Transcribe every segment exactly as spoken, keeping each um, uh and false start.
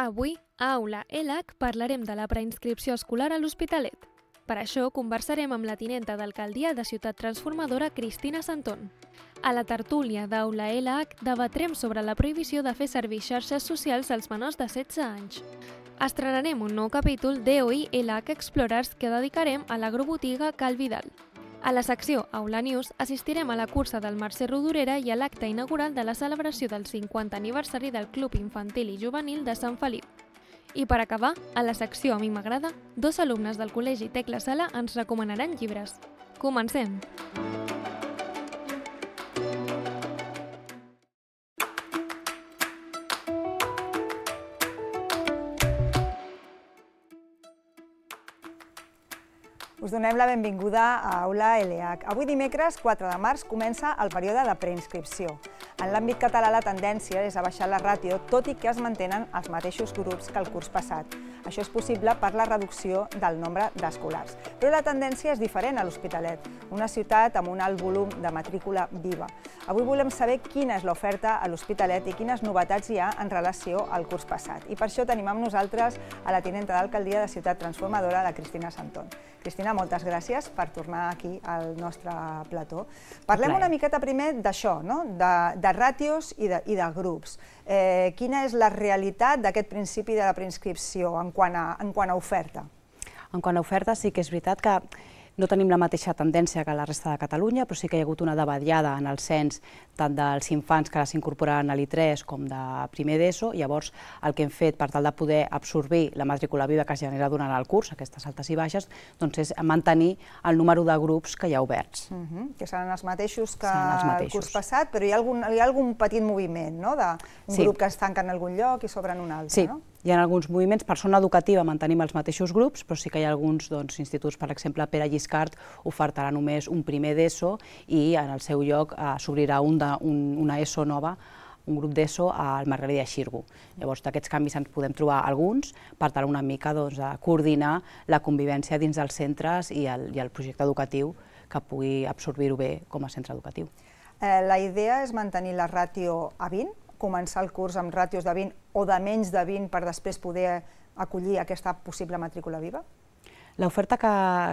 Avui, a Aula L H, parlarem de la preinscripció escolar a l'Hospitalet. Per això, conversarem amb la tinenta d'alcaldia de Ciutat Transformadora, Cristina Santón. A la tertúlia d'Aula L H debatrem sobre la prohibició de fer servir xarxes socials als menors de setze anys. Estrenarem un nou capítol d'E O I L H Explorers que dedicarem a l'agrobotiga Cal Vidal. A la secció Aula News assistirem a la cursa del Mercè Rodoreda i a l'acte inaugural de la celebració del cinquantè aniversari del Club Infantil i Juvenil de Sant Feliu. I per acabar, a la secció A mi m'agrada, dos alumnes del Col·legi Tecla Sala ens recomanaran llibres. Comencem! Us donem la benvinguda a Aula L H. Avui dimecres, quatre de març, comença el període de preinscripció. En l'àmbit català la tendència és a baixar la ràtio, tot i que es mantenen els mateixos grups que el curs passat. Això és possible per la reducció del nombre d'escolars. Però la tendència és diferent a l'Hospitalet, una ciutat amb un alt volum de matrícula viva. Avui volem saber quina és l'oferta a l'Hospitalet i quines novetats hi ha en relació al curs passat. I per això tenim amb nosaltres a la tinenta d'alcaldia de Ciutat Transformadora, la Cristina Santón. Cristina, moltes gràcies per tornar aquí al nostre plató. Parlem una miqueta primer d'això, no? de, de ràtios i de, i de grups. Eh, quina és la realitat d'aquest principi de la preinscripció en quant a, en quant a oferta? En quant a oferta, sí que és veritat que no tenim la mateixa tendència que la resta de Catalunya, però sí que hi ha hagut una davallada en el cens tant dels infants que s'incorporaran a l'I tres com de primer d'ESO. Llavors, el que hem fet per tal de poder absorbir la matrícula viva que es genera durant el curs, aquestes altes i baixes, doncs és mantenir el número de grups que hi ha oberts. Uh-huh. Que seran els mateixos que el curs passat, però hi ha algun, hi ha algun petit moviment, no? d'un sí. grup que es tanca en algun lloc i s'obre en un altre, sí. no? Hi ha alguns moviments. Per zona educativa mantenim els mateixos grups, però sí que hi ha alguns doncs, instituts, per exemple, Pere Lliscart ofertarà només un primer d'ESO i en el seu lloc eh, s'obrirà un de, un, una ESO nova, un grup d'ESO al Margarida Xirgu. Llavors, d'aquests canvis ens podem trobar alguns per tal una mica doncs, a coordinar la convivència dins dels centres i el, i el projecte educatiu que pugui absorbir-ho bé com a centre educatiu. Eh, la idea és mantenir la ràtio a vint, començar el curs amb ràtios de vint o de menys de vint per després poder acollir aquesta possible matrícula viva? L'oferta que,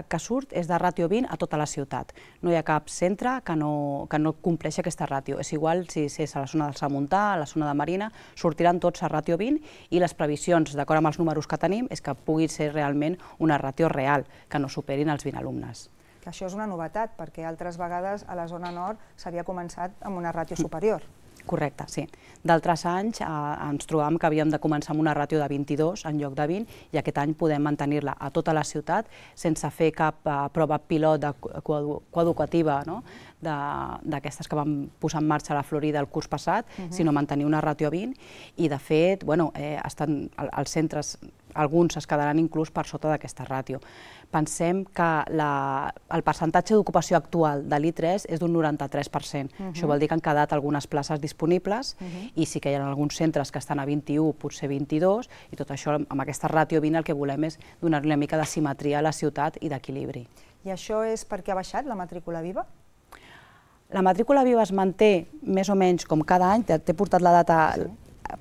que surt és de ràtio vint a tota la ciutat. No hi ha cap centre que no, que no compleixi aquesta ràtio. És igual si és a la zona del Samontà, a la zona de Marina, sortiran tots a ràtio vint i les previsions, d'acord amb els números que tenim, és que pugui ser realment una ràtio real, que no superin els vint alumnes. Que això és una novetat, perquè altres vegades a la zona nord s'havia començat amb una ràtio superior. Correcte, sí. D'altres anys eh, ens trobàvem que havíem de començar amb una ràtio de vint-i-dos en lloc de vint i aquest any podem mantenir-la a tota la ciutat sense fer cap eh, prova pilot de coeducativa, no? d'aquestes que vam posar en marxa a la Florida el curs passat, uh-huh. sinó mantenir una ràtio a vint i de fet bueno, eh, estan, els centres, alguns es quedaran inclús per sota d'aquesta ràtio. Pensem que la, el percentatge d'ocupació actual de l'I tres és d'un noranta-tres per cent. Uh-huh. Això vol dir que han quedat algunes places disponibles uh-huh. i sí que hi ha alguns centres que estan a vint-i-u, potser vint-i-dos, i tot això amb aquesta ràtio vint el que volem és donar-li una mica de simetria a la ciutat i d'equilibri. I això és perquè ha baixat la matrícula viva? La matrícula viva es manté més o menys com cada any, t'he portat la data sí.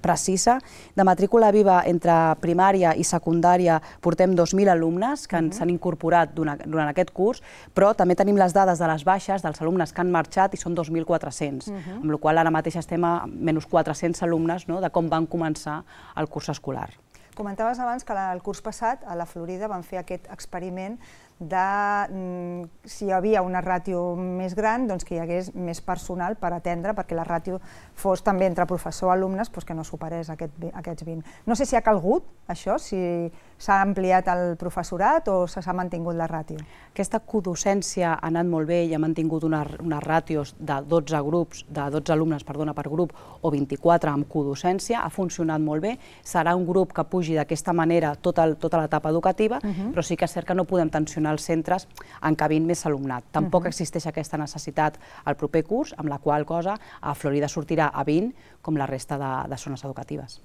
precisa. De matrícula viva entre primària i secundària portem dos mil alumnes que uh-huh. s'han incorporat durant, durant aquest curs, però també tenim les dades de les baixes dels alumnes que han marxat i són dos mil quatre-cents, uh-huh. amb la qual cosa ara mateix estem a menys quatre-cents alumnes no, de com van començar el curs escolar. Comentaves abans que el curs passat a la Florida van fer aquest experiment de si hi havia una ràtio més gran, doncs que hi hagués més personal per atendre, perquè la ràtio fos també entre professor i alumnes que no superés aquests vint. No sé si ha calgut això, si s'ha ampliat el professorat o s'ha mantingut la ràtio. Aquesta codocència ha anat molt bé i ha mantingut unes ràtios de dotze grups, de dotze alumnes perdona, per grup o vint-i-quatre amb codocència, ha funcionat molt bé. Serà un grup que pugi d'aquesta manera tota l'etapa educativa, però sí que és cert que no podem tensionar els centres encabint més alumnat. Tampoc uh-huh. existeix aquesta necessitat al proper curs, amb la qual cosa a Florida sortirà a vint com la resta de, de zones educatives.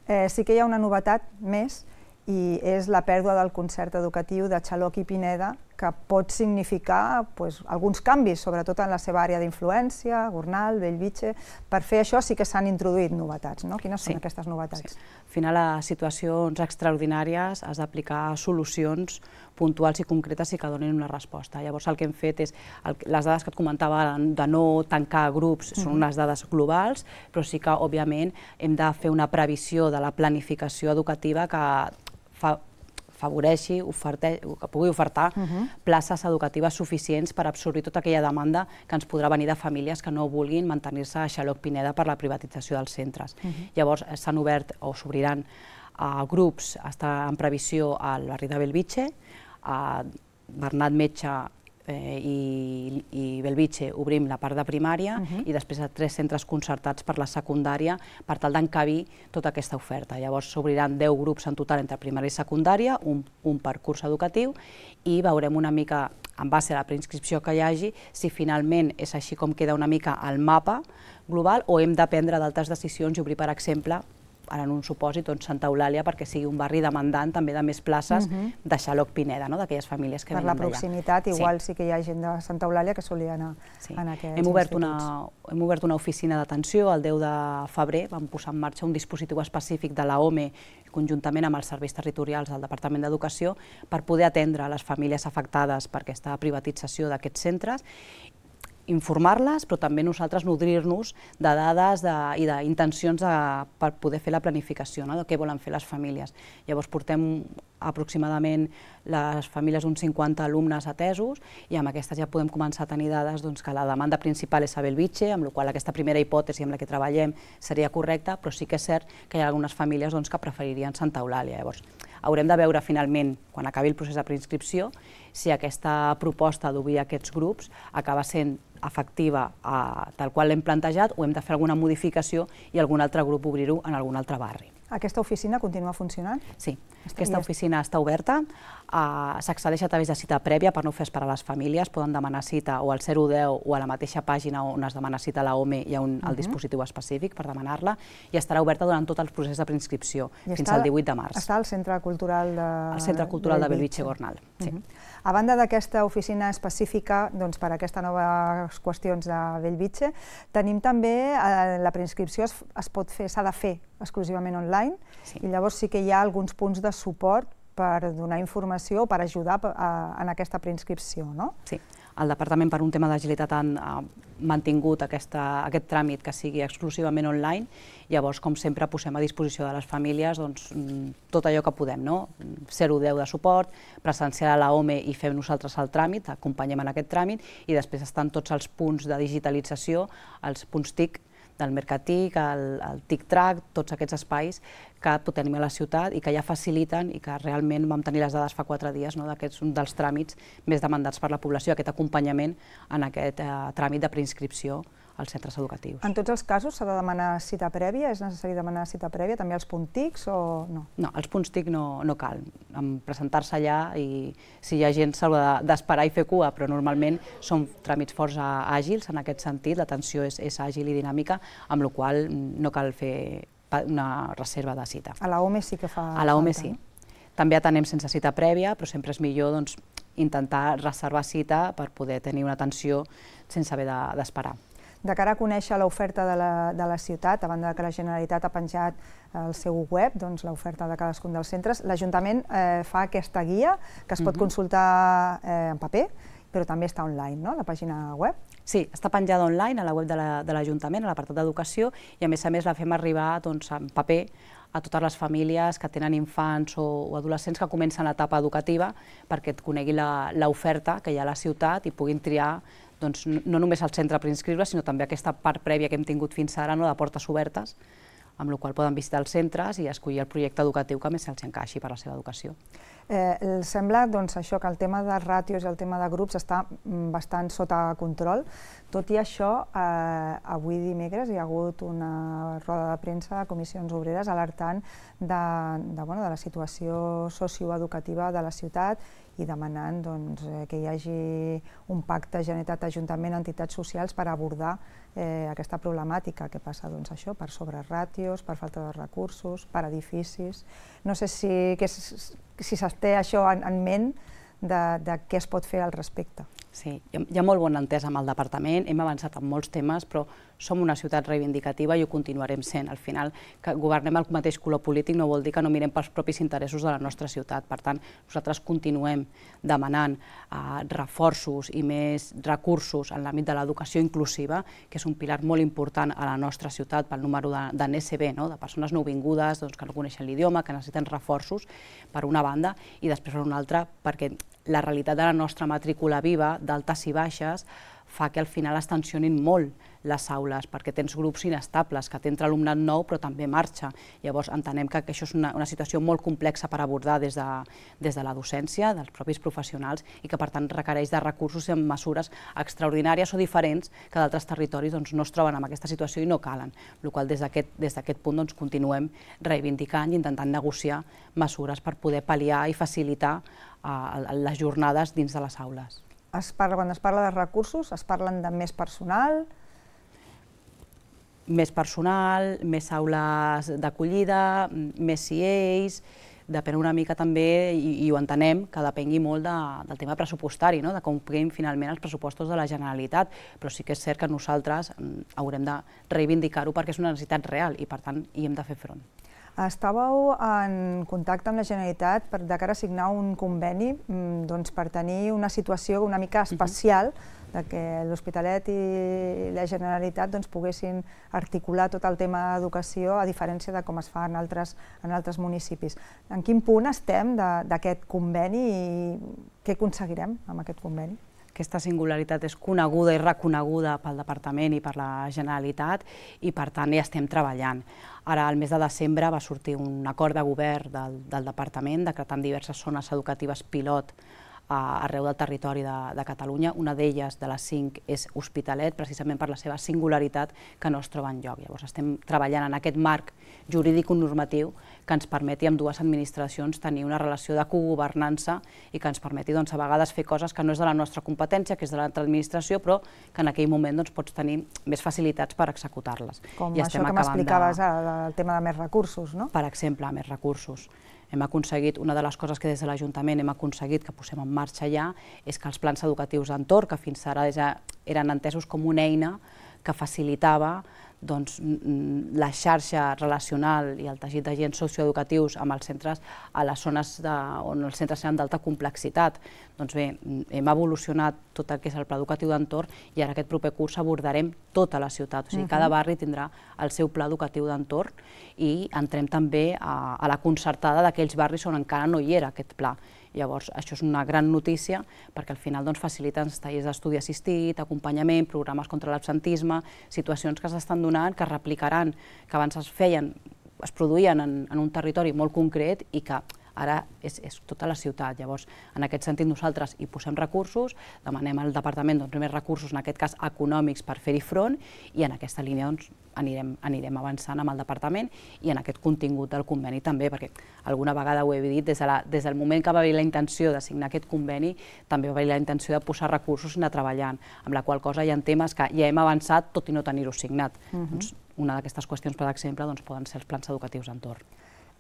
Eh, sí que hi ha una novetat més i és la pèrdua del concert educatiu de Xaloc i Pineda, que pot significar doncs, alguns canvis, sobretot en la seva àrea d'influència, Gornal, Bellvitge. Per fer això sí que s'han introduït novetats, no? Quines són Sí. aquestes novetats? Sí. Al final, a situacions extraordinàries has d'aplicar solucions puntuals i concretes i que donin una resposta. Llavors el que hem fet és, el, les dades que et comentava de no tancar grups són unes dades globals, però sí que, òbviament, hem de fer una previsió de la planificació educativa que fa, favoreixi, oferte, que pugui ofertar uh-huh. places educatives suficients per absorbir tota aquella demanda que ens podrà venir de famílies que no vulguin mantenir-se a Xaloc Pineda per la privatització dels centres. Uh-huh. Llavors s'han obert o s'obriran uh, grups, està en previsió al barri de Bellvitge, a Bernat Metge eh, i, i Bellvitge obrim la part de primària uh-huh. i després a tres centres concertats per la secundària per tal d'encabir tota aquesta oferta. Llavors s'obriran deu grups en total entre primària i secundària, un, un per curs educatiu, i veurem una mica, en base a la preinscripció que hi hagi, si finalment és així com queda una mica el mapa global o hem de prendre d'altres decisions i obrir, per exemple, ara en un supòsit, doncs Santa Eulàlia, perquè sigui un barri demandant també de més places uh-huh. de Xaloc Pineda, no? D'aquelles famílies que per venen d'allà. Per la proximitat, igual sí. sí que hi ha gent de Santa Eulàlia que solia anar sí. en aquests hem obert instituts. Una, hem obert una oficina d'atenció el deu de febrer, vam posar en marxa un dispositiu específic de la O M E conjuntament amb els serveis territorials del Departament d'Educació per poder atendre les famílies afectades per aquesta privatització d'aquests centres, informar-les, però també nosaltres nodrir-nos de dades de, i d'intencions per poder fer la planificació, no? De què volen fer les famílies. Llavors portem aproximadament les famílies uns cinquanta alumnes atesos i amb aquestes ja podem començar a tenir dades doncs, que la demanda principal és a Bellvitge, amb la qual aquesta primera hipòtesi amb la que treballem seria correcta, però sí que és cert que hi ha algunes famílies doncs, que preferirien Santa Eulàlia. Llavors, haurem de veure finalment, quan acabi el procés de preinscripció, si aquesta proposta d'obrir aquests grups acaba sent efectiva a, tal qual l'hem plantejat o hem de fer alguna modificació i algun altre grup obrir-ho en algun altre barri. Aquesta oficina continua funcionant? Sí, aquesta oficina està oberta, uh, s'accedeix a través de cita prèvia per no fer esperar les famílies, poden demanar cita o al zero deu o a la mateixa pàgina on es demana cita a la O M E hi ha un, el dispositiu específic per demanar-la i estarà oberta durant tot el procés de preinscripció, fins al divuit de març. Està al Centre Cultural de... Al Centre Cultural de Bellvitge-Gornal, sí. A banda d'aquesta oficina específica doncs, per a aquestes noves qüestions de Bellvitge, tenim també, eh, la preinscripció es, es pot fer, s'ha de fer exclusivament online, sí. I llavors sí que hi ha alguns punts de suport per donar informació o per ajudar a, en aquesta preinscripció, no? Sí. El Departament, per un tema d'agilitat, ha mantingut aquesta, aquest tràmit que sigui exclusivament online. Llavors, com sempre, posem a disposició de les famílies doncs, tot allò que podem, no? zero deu de suport, presenciar a la O M E i fem nosaltres el tràmit, acompanyem en aquest tràmit, i després estan tots els punts de digitalització, els punts T I C del Mercatic, el, el Tic-Trac, tots aquests espais que tenim a la ciutat i que ja faciliten i que realment vam tenir les dades fa quatre dies, no, d'aquests un dels tràmits més demandats per la població, aquest acompanyament en aquest eh, tràmit de preinscripció als centres educatius. En tots els casos s'ha de demanar cita prèvia? És necessari demanar cita prèvia? També als punts T I Cs o no? No, als punts T I C no, no cal. Presentar-se allà i si hi ha gent s'haurà d'esperar i fer cua, però normalment són tràmits força àgils en aquest sentit, l'atenció és, és àgil i dinàmica, amb la qual no cal fer una reserva de cita. A la O M E sí que fa A la O M E sí. També atenem sense cita prèvia, però sempre és millor doncs, intentar reservar cita per poder tenir una atenció sense haver d'esperar. De cara a conèixer l'oferta de, la, de la ciutat, a banda que la Generalitat ha penjat al seu web doncs, l'oferta de cadascun dels centres, l'Ajuntament eh, fa aquesta guia que es pot uh-huh. consultar eh, en paper, però també està online, no?, a la pàgina web. Sí, està penjada online a la web de l'Ajuntament, a l'apartat d'Educació, i a més a més la fem arribar doncs, en paper a totes les famílies que tenen infants o, o adolescents que comencen l'etapa educativa perquè et conegui l'oferta que hi ha a la ciutat i puguin triar doncs, no només al centre per inscriure, sinó també aquesta part prèvia que hem tingut fins ara, no, de portes obertes, amb la qual poden visitar els centres i escollir el projecte educatiu que més se'ls encaixi per a la seva educació. Eh, sembla doncs, això que el tema de ràtios i el tema de grups està bastant sota control. Tot i això, eh, avui dimecres hi ha hagut una roda de premsa de comissions obreres alertant de, de, bueno, de la situació socioeducativa de la ciutat i demanant doncs, que hi hagi un pacte Generalitat-Ajuntament, entitats socials per abordar eh, aquesta problemàtica que passa doncs, això, per sobreràtios, per falta de recursos, per edificis. No sé si, que, si es té això en, en ment de què es pot fer al respecte. Sí, hi ha molt bona entesa amb el departament, hem avançat en molts temes, però som una ciutat reivindicativa i ho continuarem sent. Al final, que governem el mateix color polític no vol dir que no mirem pels propis interessos de la nostra ciutat. Per tant, nosaltres continuem demanant reforços i més recursos en l'àmbit de l'educació inclusiva, que és un pilar molt important a la nostra ciutat pel número de N S B, de persones nouvingudes que no coneixen l'idioma, que necessiten reforços, per una banda, i després per una altra, perquè la realitat de la nostra matrícula viva, d'altes i baixes, fa que al final es tensionin molt les aules, perquè tens grups inestables, que t'entra alumnat nou però també marxa. Llavors entenem que això és una situació molt complexa per abordar des de la docència, dels propis professionals, i que per tant requereix de recursos i mesures extraordinàries o diferents que d'altres territoris no es troben en aquesta situació i no calen. Per la qual cosa des d'aquest punt continuem reivindicant i intentant negociar mesures per poder pal·liar i facilitar les jornades dins de les aules. Quan es parla de recursos, es parlen de més personal? Més personal, més aules d'acollida, més C As, depèn una mica també, i ho entenem, que depengui molt del tema pressupostari, de com puguem finalment els pressupostos de la Generalitat, però sí que és cert que nosaltres haurem de reivindicar-ho perquè és una necessitat real i per tant hi hem de fer front. Estàveu en contacte amb la Generalitat de cara a signar un conveni per tenir una situació una mica especial, que l'Hospitalet i la Generalitat poguessin articular tot el tema d'educació a diferència de com es fa en altres municipis. En quin punt estem d'aquest conveni i què aconseguirem amb aquest conveni? Aquesta singularitat és coneguda i reconeguda pel Departament i per la Generalitat i per tant hi estem treballant. Ara, al mes de desembre, va sortir un acord de govern del Departament decretant diverses zones educatives pilot arreu del territori de Catalunya. Una d'elles, de les cinc, és Hospitalet, precisament per la seva singularitat que no es troba enlloc. Llavors estem treballant en aquest marc jurídic normatiu que ens permeti amb dues administracions tenir una relació de cogovernança i que ens permeti a vegades fer coses que no és de la nostra competència, que és de l'altra administració, però que en aquell moment pots tenir més facilitats per executar-les. Com això que m'explicaves, el tema de més recursos, no? Per exemple, més recursos. Hem aconseguit, una de les coses que des de l'Ajuntament hem aconseguit que posem en marxa ja, és que els plans educatius d'entorn, que fins ara eren entesos com una eina que facilitava la xarxa relacional i el teixit d'agents socioeducatius amb els centres a les zones on els centres seran d'alta complexitat. Doncs bé, hem evolucionat tot el que és el pla educatiu d'entorn i ara aquest proper curs abordarem tota la ciutat. O sigui, cada barri tindrà el seu pla educatiu d'entorn i entrem també a la concertada d'aquells barris on encara no hi era aquest pla. Llavors, això és una gran notícia perquè al final faciliten els tallers d'estudi assistit, acompanyament, programes contra l'absentisme, situacions que s'estan donant, que es replicaran, que abans es feien, es produïen en un territori molt concret i que ara és tota la ciutat. Llavors, en aquest sentit, nosaltres hi posem recursos, demanem al Departament més recursos, en aquest cas econòmics, per fer-hi front i en aquesta línia anirem avançant amb el Departament i en aquest contingut del conveni també, perquè alguna vegada ho he dit, des del moment que va haver la intenció de signar aquest conveni, també va haver la intenció de posar recursos i anar treballant, amb la qual cosa hi ha temes que ja hem avançat tot i no tenir-ho signat. Una d'aquestes qüestions, per exemple, poden ser els plans educatius d'entorn.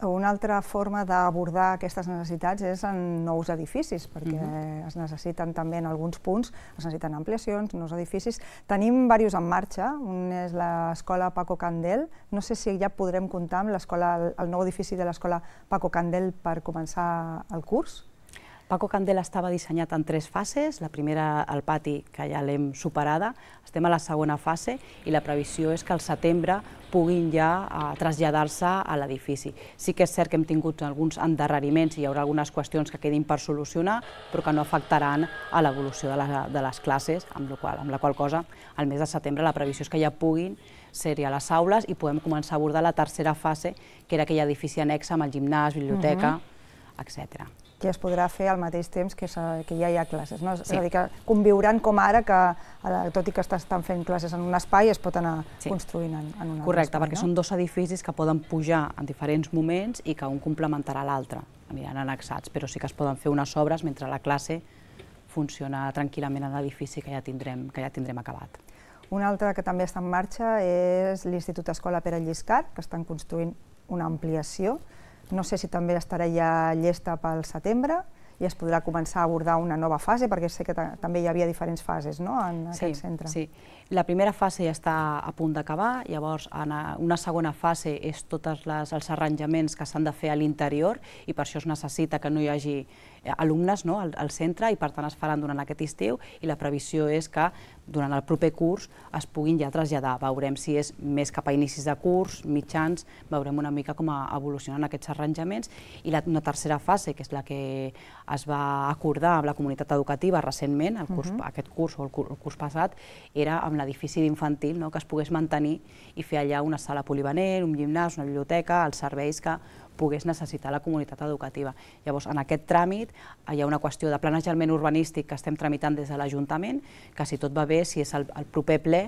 Una altra forma d'abordar aquestes necessitats és en nous edificis, perquè es necessiten també en alguns punts, es necessiten ampliacions, nous edificis. Tenim diversos en marxa, un és l'escola Paco Candel, no sé si ja podrem comptar amb el nou edifici de l'escola Paco Candel per començar el curs. Paco Candel estava dissenyat en tres fases, la primera al pati, que ja l'hem superada, estem a la segona fase i la previsió és que al setembre puguin ja traslladar-se a l'edifici. Sí que és cert que hem tingut alguns endarreriments i hi haurà algunes qüestions que quedin per solucionar, però que no afectaran a l'evolució de les classes, amb la qual cosa al mes de setembre la previsió és que ja puguin ser-hi a les aules i podem començar a abordar la tercera fase, que era aquell edifici annex amb el gimnàs, biblioteca, etcètera. Que es podrà fer al mateix temps que ja hi ha classes. És a dir, que conviuran com ara, que tot i que estan fent classes en un espai, es pot anar construint en un altre espai. Correcte, perquè són dos edificis que poden pujar en diferents moments i que un complementarà l'altre. Aniran annexats, però sí que es poden fer unes obres mentre la classe funciona tranquil·lament en l'edifici que ja tindrem acabat. Un altre que també està en marxa és l'Institut Escola Pere Lliscar, que estan construint una ampliació. No sé si també estarà ja llesta pel setembre i es podrà començar a abordar una nova fase, perquè sé que també hi havia diferents fases en aquest centre. Sí, la primera fase ja està a punt d'acabar, llavors una segona fase és tots els arranjaments que s'han de fer a l'interior i per això es necessita que no hi hagi alumnes al centre i per tant es faran durant aquest estiu i la previsió és que durant el proper curs es puguin ja traslladar. Veurem si és més cap a inicis de curs, mitjans, veurem una mica com evolucionen aquests arranjaments i una tercera fase, que és la que es va acordar amb la comunitat educativa recentment, aquest curs o el curs passat, era amb l'edifici d'infantil, que es pogués mantenir i fer allà una sala polivalent, un gimnàs, una biblioteca, els serveis que pogués necessitar la comunitat educativa. Llavors, en aquest tràmit hi ha una qüestió de planejament urbanístic que estem tramitant des de l'Ajuntament, que si tot va bé, si és el proper ple,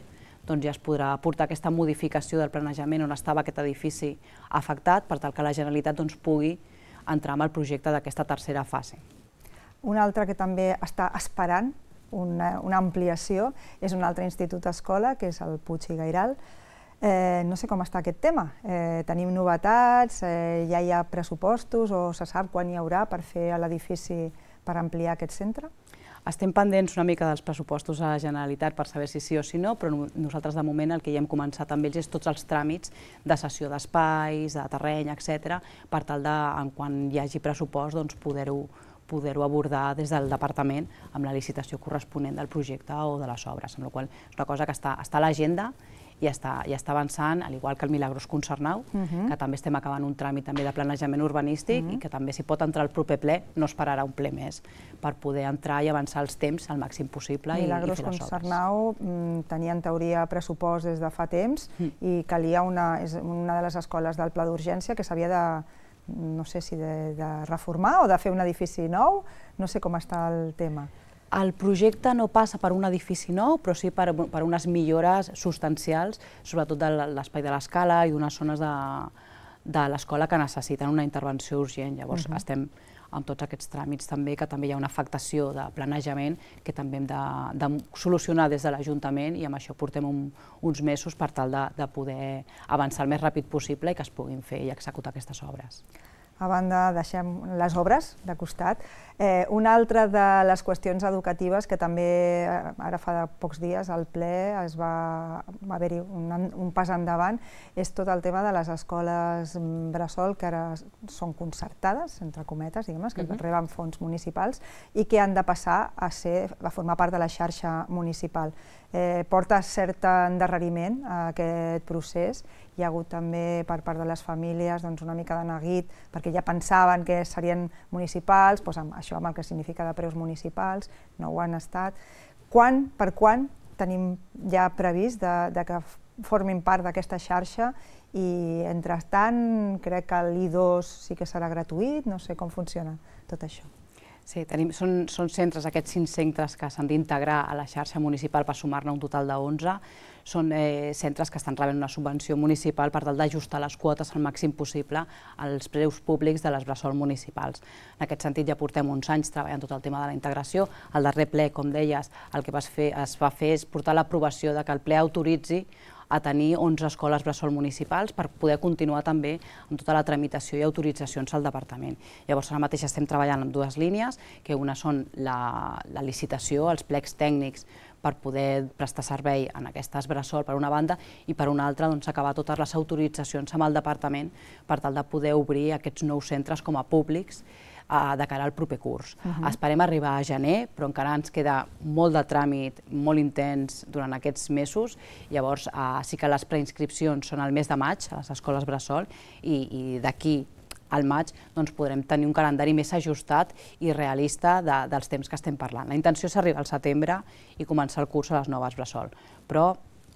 doncs ja es podrà portar aquesta modificació del planejament on estava aquest edifici afectat per tal que la Generalitat pugui entrar en el projecte d'aquesta tercera fase. Un altre que també està esperant una ampliació és un altre institut escola, que és el Puig i Gairal. No sé com està aquest tema. Tenim novetats, ja hi ha pressupostos o se sap quan hi haurà per fer l'edifici per ampliar aquest centre? Estem pendents una mica dels pressupostos a la Generalitat per saber si sí o si no, però nosaltres de moment el que ja hem començat amb ells és tots els tràmits de cessió d'espais, de terreny, etcètera, per tal de, quan hi hagi pressupost, poder-ho poder-ho abordar des del departament amb la licitació corresponent del projecte o de les obres, amb la qual és una cosa que està a l'agenda i està avançant, al igual que el Milagros Concernau, que també estem acabant un tràmit de planejament urbanístic i que també s'hi pot entrar al proper ple, no esperarà un ple més, per poder entrar i avançar els temps al màxim possible i fer les obres. Milagros Concernau tenia en teoria pressupost des de fa temps i calia una de les escoles del pla d'urgència que s'havia de no sé si de reformar o de fer un edifici nou, no sé com està el tema. El projecte no passa per un edifici nou, però sí per unes millores substancials, sobretot de l'espai de l'escala i d'unes zones de l'escola que necessiten una intervenció urgent. Llavors estem amb tots aquests tràmits també, que també hi ha una afectació de planejament que també hem de solucionar des de l'Ajuntament i amb això portem uns mesos per tal de poder avançar el més ràpid possible i que es puguin fer i executar aquestes obres. A banda, deixem les obres de costat. Una altra de les qüestions educatives que també ara fa pocs dies al ple es va haver-hi un pas endavant és tot el tema de les escoles bressol que ara són concertades, entre cometes, que reben fons municipals i que han de passar a formar part de la xarxa municipal. Porta cert endarreriment a aquest procés. Hi ha hagut també per part de les famílies una mica de neguit perquè ja pensaven que serien municipals, això amb el que significa de preus municipals, no ho han estat. Quan, per quan tenim ja previst que formin part d'aquesta xarxa i, entretant, crec que l'I dos sí que serà gratuït, no sé com funciona tot això. Sí, són centres, aquests cinc centres que s'han d'integrar a la xarxa municipal per sumar-ne un total d'onze. Són centres que estan rebent una subvenció municipal per tal d'ajustar les quotes al màxim possible als preus públics de les bressol municipals. En aquest sentit ja portem uns anys treballant tot el tema de la integració. Al darrer ple, com deies, el que es va fer és portar l'aprovació que el ple autoritzi a tenir onze escoles bressol municipals per poder continuar també amb tota la tramitació i autoritzacions al departament. Llavors ara mateix estem treballant en dues línies, que una són la licitació, els plecs tècnics per poder prestar servei en aquestes bressol per una banda i per una altra acabar totes les autoritzacions amb el departament per tal de poder obrir aquests nous centres com a públics de cara al proper curs. Esperem arribar a gener, però encara ens queda molt de tràmit, molt intens durant aquests mesos. Llavors sí que les preinscripcions són al mes de maig a les escoles bressol i d'aquí al maig podrem tenir un calendari més ajustat i realista dels temps que estem parlant. La intenció és arribar al setembre i començar el curs a les noves bressol, però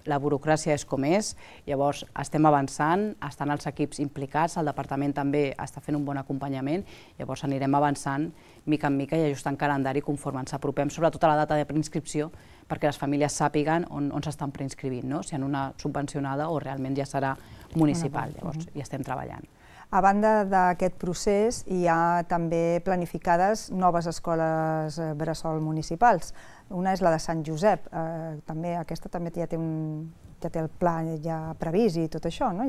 la burocràcia és com és, llavors estem avançant, estan els equips implicats, el departament també està fent un bon acompanyament, llavors anirem avançant mica en mica i ajustant calendari conforme ens apropem, sobretot a la data de preinscripció, perquè les famílies sàpiguen on s'estan preinscrivint, si en una subvencionada o realment ja serà municipal, llavors hi estem treballant. A banda d'aquest procés, hi ha també planificades noves escoles bressol municipals. Una és la de Sant Josep, aquesta també ja té el pla ja previst i tot això, no?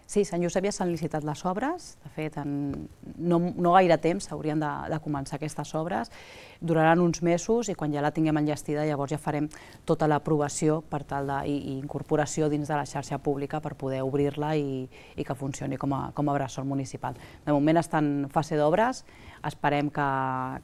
Sí, Sant Josep ja s'han licitat les obres, de fet, en no, no gaire temps haurien de, de començar aquestes obres, duraran uns mesos i quan ja la tinguem enllestida llavors ja farem tota l'aprovació per tal de, i, i incorporació dins de la xarxa pública per poder obrir-la i, i que funcioni com a, com a bressol municipal. De moment està en fase d'obres, esperem que,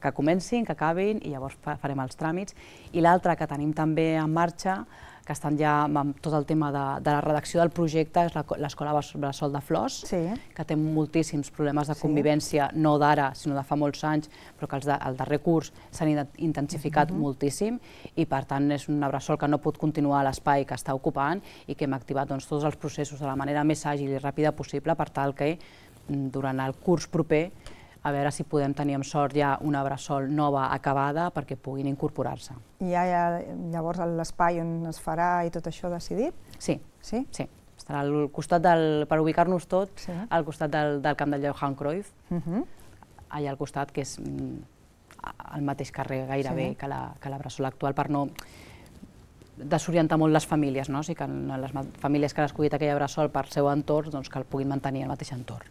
que comencin, que acabin i llavors farem els tràmits. I l'altre que tenim també en marxa, que estan ja amb tot el tema de, de la redacció del projecte, és l'Escola Bressol de Flors, sí. que té moltíssims problemes de convivència, sí. no d'ara, sinó de fa molts anys, però que els de, el darrer curs s'han intensificat uh-huh. moltíssim i per tant és una bressol que no pot continuar a l'espai que està ocupant i que hem activat doncs, tots els processos de la manera més àgil i ràpida possible per tal que durant el curs proper a veure si podem tenir amb sort ja una bressol nova acabada perquè puguin incorporar-se. I hi ha llavors l'espai on es farà i tot això decidit? Sí, sí, sí. Estarà al costat del, per ubicar-nos tots, sí. al costat del, del camp del Johan Cruyff, uh-huh. allà al costat, que és al mateix carrer gairebé sí. que, la, que la bressol actual, per no desorientar molt les famílies, no? O sigui que les famílies que han escollit aquella bressol per seu entorn, doncs que el puguin mantenir al mateix entorn.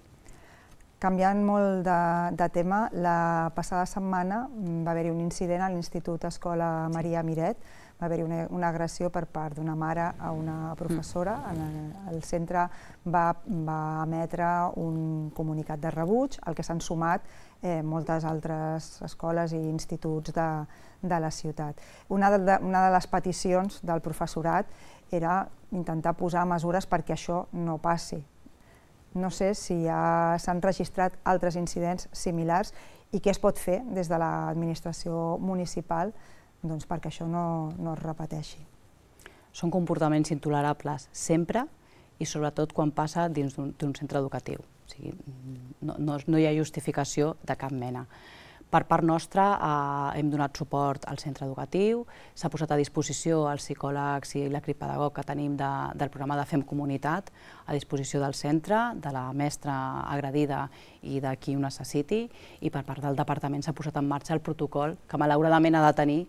Canviant molt de, de tema, la passada setmana va haver-hi un incident a l'Institut Escola Maria Miret, va haver-hi una, una agressió per part d'una mare a una professora. En el, el centre va, va emetre un comunicat de rebuig, al que s'han sumat eh, moltes altres escoles i instituts de, de la ciutat. Una de, una de les peticions del professorat era intentar posar mesures perquè això no passi. No sé si ja s'han registrat altres incidents similars i què es pot fer des de l'administració municipal doncs, perquè això no, no es repeteixi. Són comportaments intolerables sempre i sobretot quan passa dins d'un centre educatiu. O sigui, no, no, no hi ha justificació de cap mena. Per part nostra eh, hem donat suport al centre educatiu, s'ha posat a disposició els psicòlegs i l'equip pedagog que tenim de, del programa de Fem Comunitat a disposició del centre, de la mestra agredida i de qui ho necessiti, i per part del departament s'ha posat en marxa el protocol que malauradament ha de tenir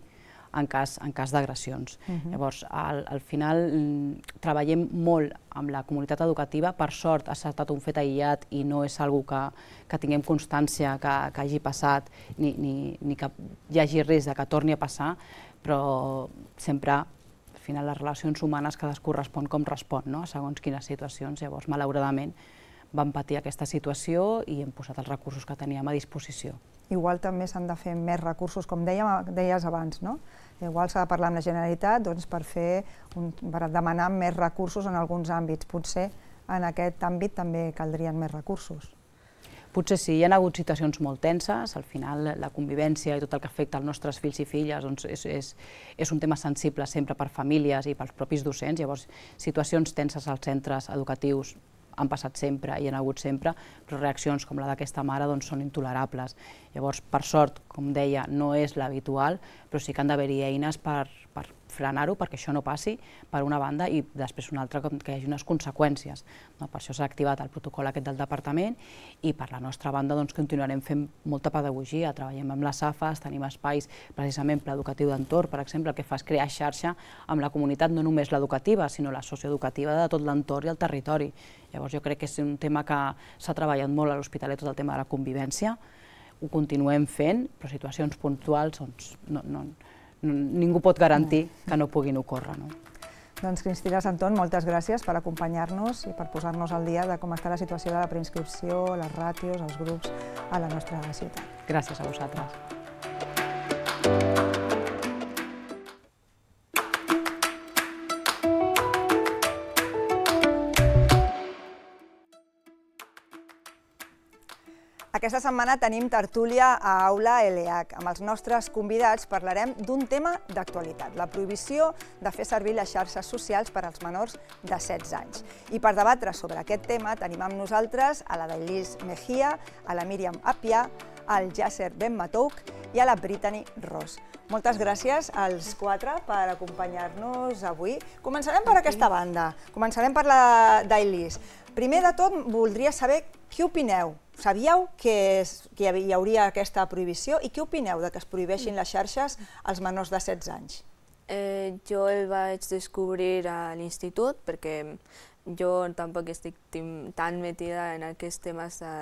en cas, en cas d'agressions. Uh-huh. Llavors, al, al final treballem molt amb la comunitat educativa, per sort ha estat un fet aïllat i no és una cosa que, que tinguem constància que, que hagi passat ni, ni, ni que hi hagi risc de que torni a passar, però sempre al final les relacions humanes cadascú respon com respon, no? Segons quines situacions. Llavors, malauradament, vam patir aquesta situació i hem posat els recursos que teníem a disposició. Igual també s'han de fer més recursos, com dèiem, deies abans, no? Igual s'ha de parlar amb la Generalitat doncs, per, fer un, per demanar més recursos en alguns àmbits. Potser en aquest àmbit també caldrien més recursos. Potser sí, hi ha hagut situacions molt tenses, al final la convivència i tot el que afecta als nostres fills i filles doncs és, és, és un tema sensible sempre per famílies i pels propis docents, llavors situacions tenses als centres educatius han passat sempre i han hagut sempre, però reaccions com la d'aquesta mare doncs, són intolerables. Llavors, per sort, com deia, no és l'habitual, però sí que han d'haver-hi eines per, per frenar-ho, perquè això no passi, per una banda, i després una altra, que hi hagi unes conseqüències. No? Per això s'ha activat el protocol aquest del departament i per la nostra banda doncs, continuarem fent molta pedagogia, treballem amb les A F A, tenim espais, precisament pla educatiu d'entorn, per exemple, el que fa és crear xarxa amb la comunitat, no només l'educativa, sinó la socioeducativa de tot l'entorn i el territori. Llavors jo crec que és un tema que s'ha treballat molt a l'Hospitalet, tot el tema de la convivència, ho continuem fent, però situacions puntuals doncs, no, no, no, ningú pot garantir que no puguin ocórrer. No? Doncs Cristina Santón, moltes gràcies per acompanyar-nos i per posar-nos al dia de com està la situació de la preinscripció, les ràtios, els grups a la nostra ciutat. Gràcies a vosaltres. Aquesta setmana tenim tertúlia a Aula L H. Amb els nostres convidats parlarem d'un tema d'actualitat, la prohibició de fer servir les xarxes socials per als menors de setze anys. I per debatre sobre aquest tema tenim amb nosaltres a la Dailís Mejía, a la Míriam Appiah, al Yasser Ben Matouk i a la Brittany Ross. Moltes gràcies als quatre per acompanyar-nos avui. Començarem per aquesta banda, començarem per la Dailís. Primer de tot, voldria saber què opineu. Sabíeu que hi hauria aquesta prohibició i què opineu de que es prohibeixin les xarxes als menors de setze anys? Jo el vaig descobrir a l'institut perquè jo tampoc estic tan metida en aquests temes de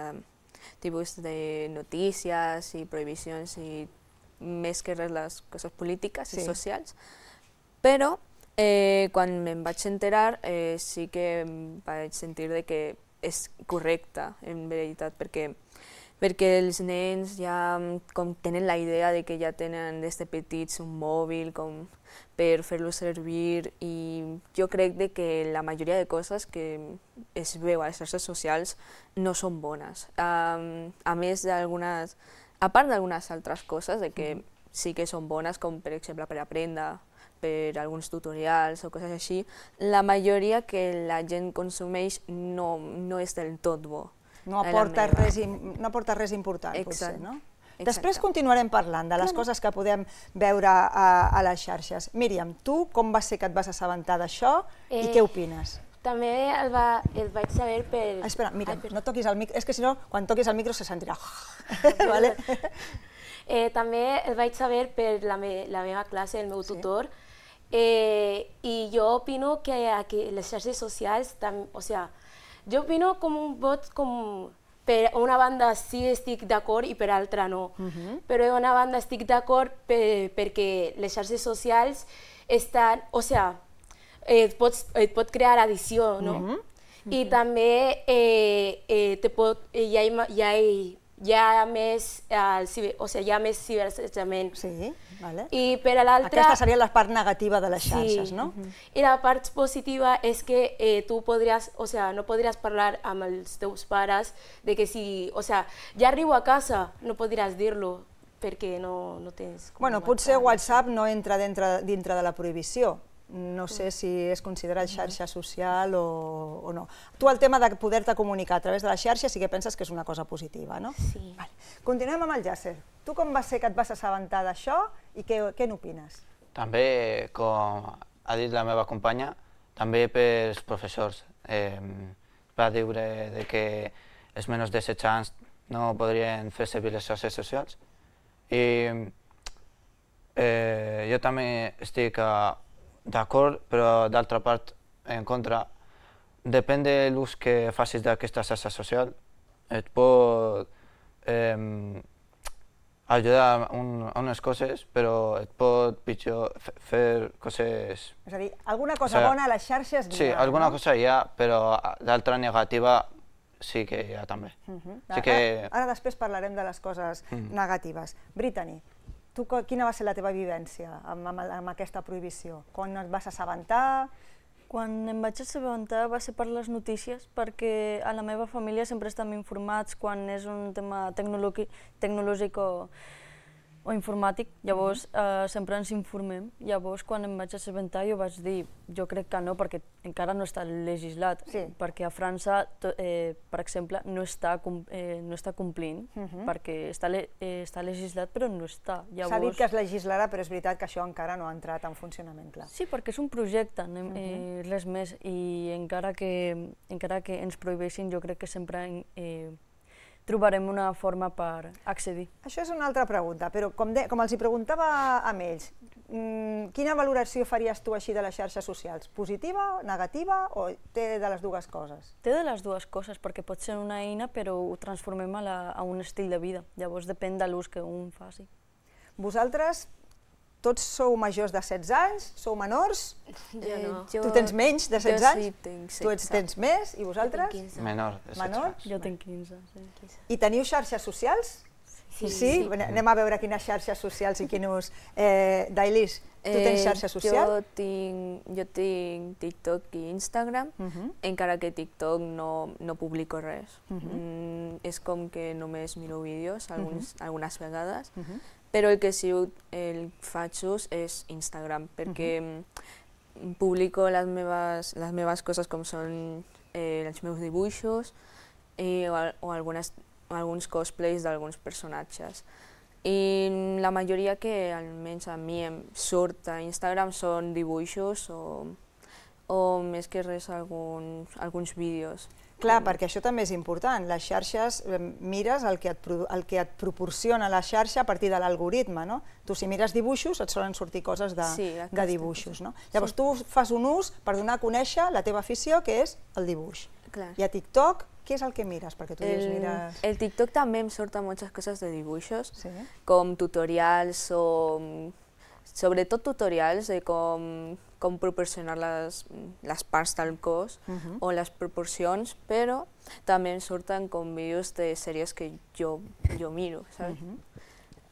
tipus de notícies i prohibicions i més que res les coses polítiques i socials, però quan me'n vaig enterar sí que vaig sentir que és correcte, en veritat, perquè perquè els nens ja com tenen la idea de que ja tenen des de petits un mòbil com per fer-lo servir i jo crec que la majoria de coses que es veu a les xarxes socials no són bones. A més d'algunes, a part d'algunes altres coses de que sí que són bones, com per exemple per aprendre, per alguns tutorials o coses així, la majoria que la gent consumeix no, no és del tot bo. No aporta res, no aporta res important, potser, no? Després continuarem parlant de les coses que podem veure a, a les xarxes. Míriam, tu com va ser que et vas assabentar d'això i què opines? També el, va, el vaig saber per... Ah, espera, Míriam, no toquis el micro, és que si no, quan toquis el micro se sentirà. Vale? eh, també el vaig saber per la, me, la meva classe, el meu tutor, eh, i jo opino que, que les xarxes socials, tam, o sea, jo opino com un vot com per una banda sí estic d'acord i per altra no. Uh-huh. Però per una banda estic d'acord per, perquè les xarxes socials estan, o sea, et, pots, et pot crear addició, no? Uh-huh. I uh-huh. també eh, eh, te pot, eh, hi, ha, hi, ha, hi ha més, eh, o sea, hi ha més ciberassetjament. Sí. Vale. I per a l'altra... Aquesta seria la part negativa de les xarxes, sí. no? Uh-huh. I la part positiva és que eh, tu podries, o sea, no podries parlar amb els teus pares de que si, o sea, ja arribo a casa, no podries dir-lo perquè no, no tens... Bueno, potser WhatsApp no entra dintre, dintre de la prohibició. No sé si és considerat xarxa social o, o no. Tu el tema de poder-te comunicar a través de les xarxes sí que penses que és una cosa positiva, no? Sí. Vale. Continuem amb el Yasser. Tu com va ser que et vas assabentar d'això i què, què n'opines? També, com ha dit la meva companya, també pels professors. Eh, va dir de que els menors de setze anys no podrien fer servir les xarxes socials. I eh, jo també estic a d'acord, però d'altra part en contra. Depèn de l'ús que facis d'aquesta xarxa social, et pot eh, ajudar un, a unes coses, però et pot pitjor fer coses... És a dir, alguna cosa o sigui, bona a les xarxes n'hi ha, sí, alguna no? cosa hi ha, però d'altra negativa sí que hi ha també. Uh-huh. sí que... ara, ara després parlarem de les coses uh-huh. negatives. Brittany, tu quina va ser la teva vivència amb, amb, amb aquesta prohibició? Quan et vas assabentar? Quan em vaig assabentar va ser per les notícies, perquè a la meva família sempre estem informats quan és un tema tecnològic, tecnològic o, o informàtic, llavors eh, sempre ens informem. Llavors quan em vaig assabentar jo vaig dir, jo crec que no, perquè encara no està legislat, sí. perquè a França, to, eh, per exemple, no està, eh, no està complint, uh-huh. perquè està, le, eh, està legislat però no està. Llavors... S'ha dit que es legislarà, però és veritat que això encara no ha entrat en funcionament, clar. Sí, perquè és un projecte, eh, uh-huh. res més, i encara que, encara que ens prohibeixin, jo crec que sempre eh, trobarem una forma per accedir. Això és una altra pregunta, però com, de, com els hi preguntava a ells, mmm, quina valoració faries tu així de les xarxes socials? Positiva, negativa o té de les dues coses? Té de les dues coses, perquè pot ser una eina però ho transformem a, la, a un estil de vida, llavors depèn de l'ús que un faci. Vosaltres tots sou majors de setze anys, sou menors? Jo no. Tu tens menys de setze anys? Jo sí tinc setze. Tu ets, tens més i vosaltres? Jo tinc quinze. Menor de setze Menor? anys. Jo tinc quinze. Sí. I teniu xarxes socials? Sí. Sí? sí? Anem a veure quines xarxes socials i quin ús. Eh, Dailis, tu tens xarxa social? Jo tinc, jo tinc TikTok i Instagram, uh-huh. encara que TikTok no, no publico res. Uh-huh. mm, és com que només miro vídeos alguns, uh-huh. algunes vegades, uh-huh. però el que sí el faig ús és Instagram, perquè uh-huh. publico les meves, les meves coses com són eh, els meus dibuixos eh, o, o algunes, alguns cosplays d'alguns personatges. I la majoria que almenys a mi em surt a Instagram són dibuixos o, o més que res alguns, alguns vídeos. Clar, perquè això també és important. Les xarxes, mires el que et, el que et proporciona la xarxa a partir de l'algoritme, no? Tu, si mires dibuixos, et solen sortir coses de, sí, de dibuixos, no? Llavors, sí. tu fas un ús per donar a conèixer la teva afició, que és el dibuix. Clar. I a TikTok, què és el que mires? Perquè tu dius, el, mires... el TikTok també em surten moltes coses de dibuixos, sí. com tutorials o... sobretot tutorials de com, com proporcionar les, les parts del cos uh -huh. o les proporcions, però també em surten com vídeos de sèries que jo, jo miro, saps? Uh -huh.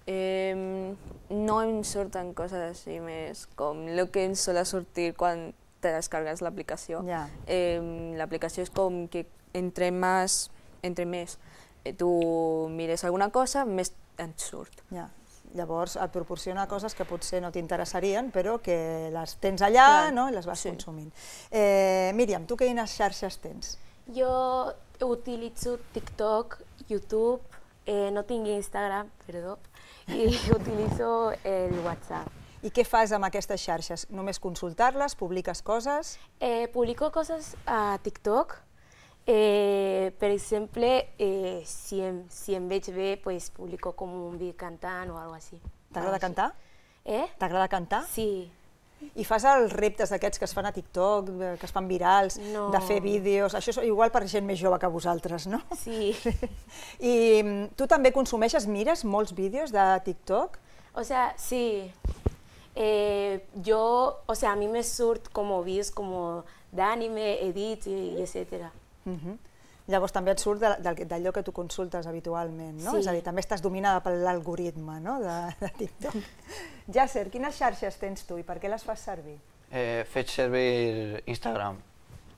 eh, no em surten coses així més com el que em sol sortir quan te descargues l'aplicació. Yeah. Eh, l'aplicació és com que entre més, entre més eh, tu mires alguna cosa, més et surt. Yeah. Llavors et proporciona coses que potser no t'interessarien, però que les tens allà, no? I les vas sí. consumint. Eh, Míriam, tu quines xarxes tens? Jo utilitzo TikTok, YouTube, eh, no tinc Instagram, perdó, i utilitzo el WhatsApp. I què fas amb aquestes xarxes? Només consultar-les? Publiques coses? Eh, publico coses a TikTok. Eh, per exemple, eh, si, em, si em veig bé, pues, publico com un vídeo cantant o alguna cosa així. T'agrada cantar? Eh? T'agrada cantar? Sí. I fas els reptes d'aquests que es fan a TikTok, que es fan virals, no. de fer vídeos... Això és igual per gent més jove que vosaltres, no? Sí. I tu també consumeixes, mires molts vídeos de TikTok? O sea, sí. Eh, yo, o sea, a mí me surt como vídeos como d'anime, edits i etcètera. Uh -huh. Llavors també et surt d'allò que tu consultes habitualment, no? Sí. És a dir, també estàs dominada per l'algoritme, no?, de, de TikTok. Yasser, quines xarxes tens tu i per què les fas servir? Eh, faig servir Instagram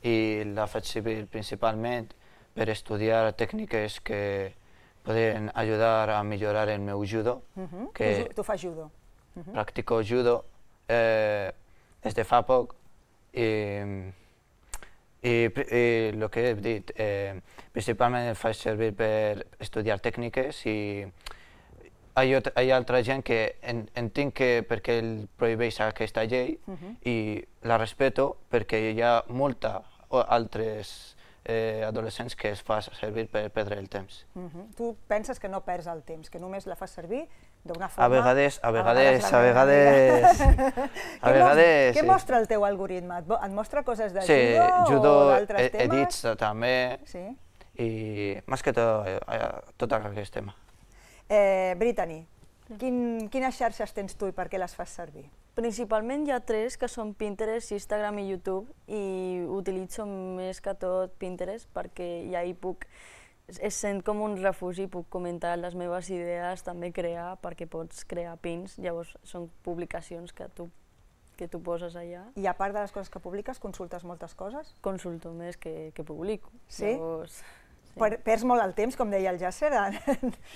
i la faig servir principalment per estudiar tècniques que poden ajudar a millorar el meu judo. Uh -huh. que tu, tu fas judo? Uh -huh. Practico judo eh, des de fa poc i I, i el que he dit, eh, principalment el faig servir per estudiar tècniques i hi ha, hi ha altra gent que en, entenc que perquè el prohibeix aquesta llei uh -huh. i la respeto perquè hi ha molta altres eh, adolescents que es fa servir per perdre el temps. Uh -huh. Tu penses que no perds el temps, que només la fas servir d'una forma... A vegades, a vegades, a vegades... A vegades... Què mostra el teu algoritme? Et mostra coses de sí, judo, judo o d'altres temes? edits també, sí. i més que tot, tot aquest tema. Eh, Brittany, quin, quines xarxes tens tu i per què les fas servir? Principalment hi ha tres, que són Pinterest, Instagram i YouTube, i utilitzo més que tot Pinterest perquè ja hi puc... Es sent com un refugi, puc comentar les meves idees, també crear, perquè pots crear pins, llavors són publicacions que tu, que tu poses allà. I a part de les coses que publiques, consultes moltes coses? Consulto més que, que publico. Sí? Llavors, sí. Per, perds molt el temps, com deia el Yasser?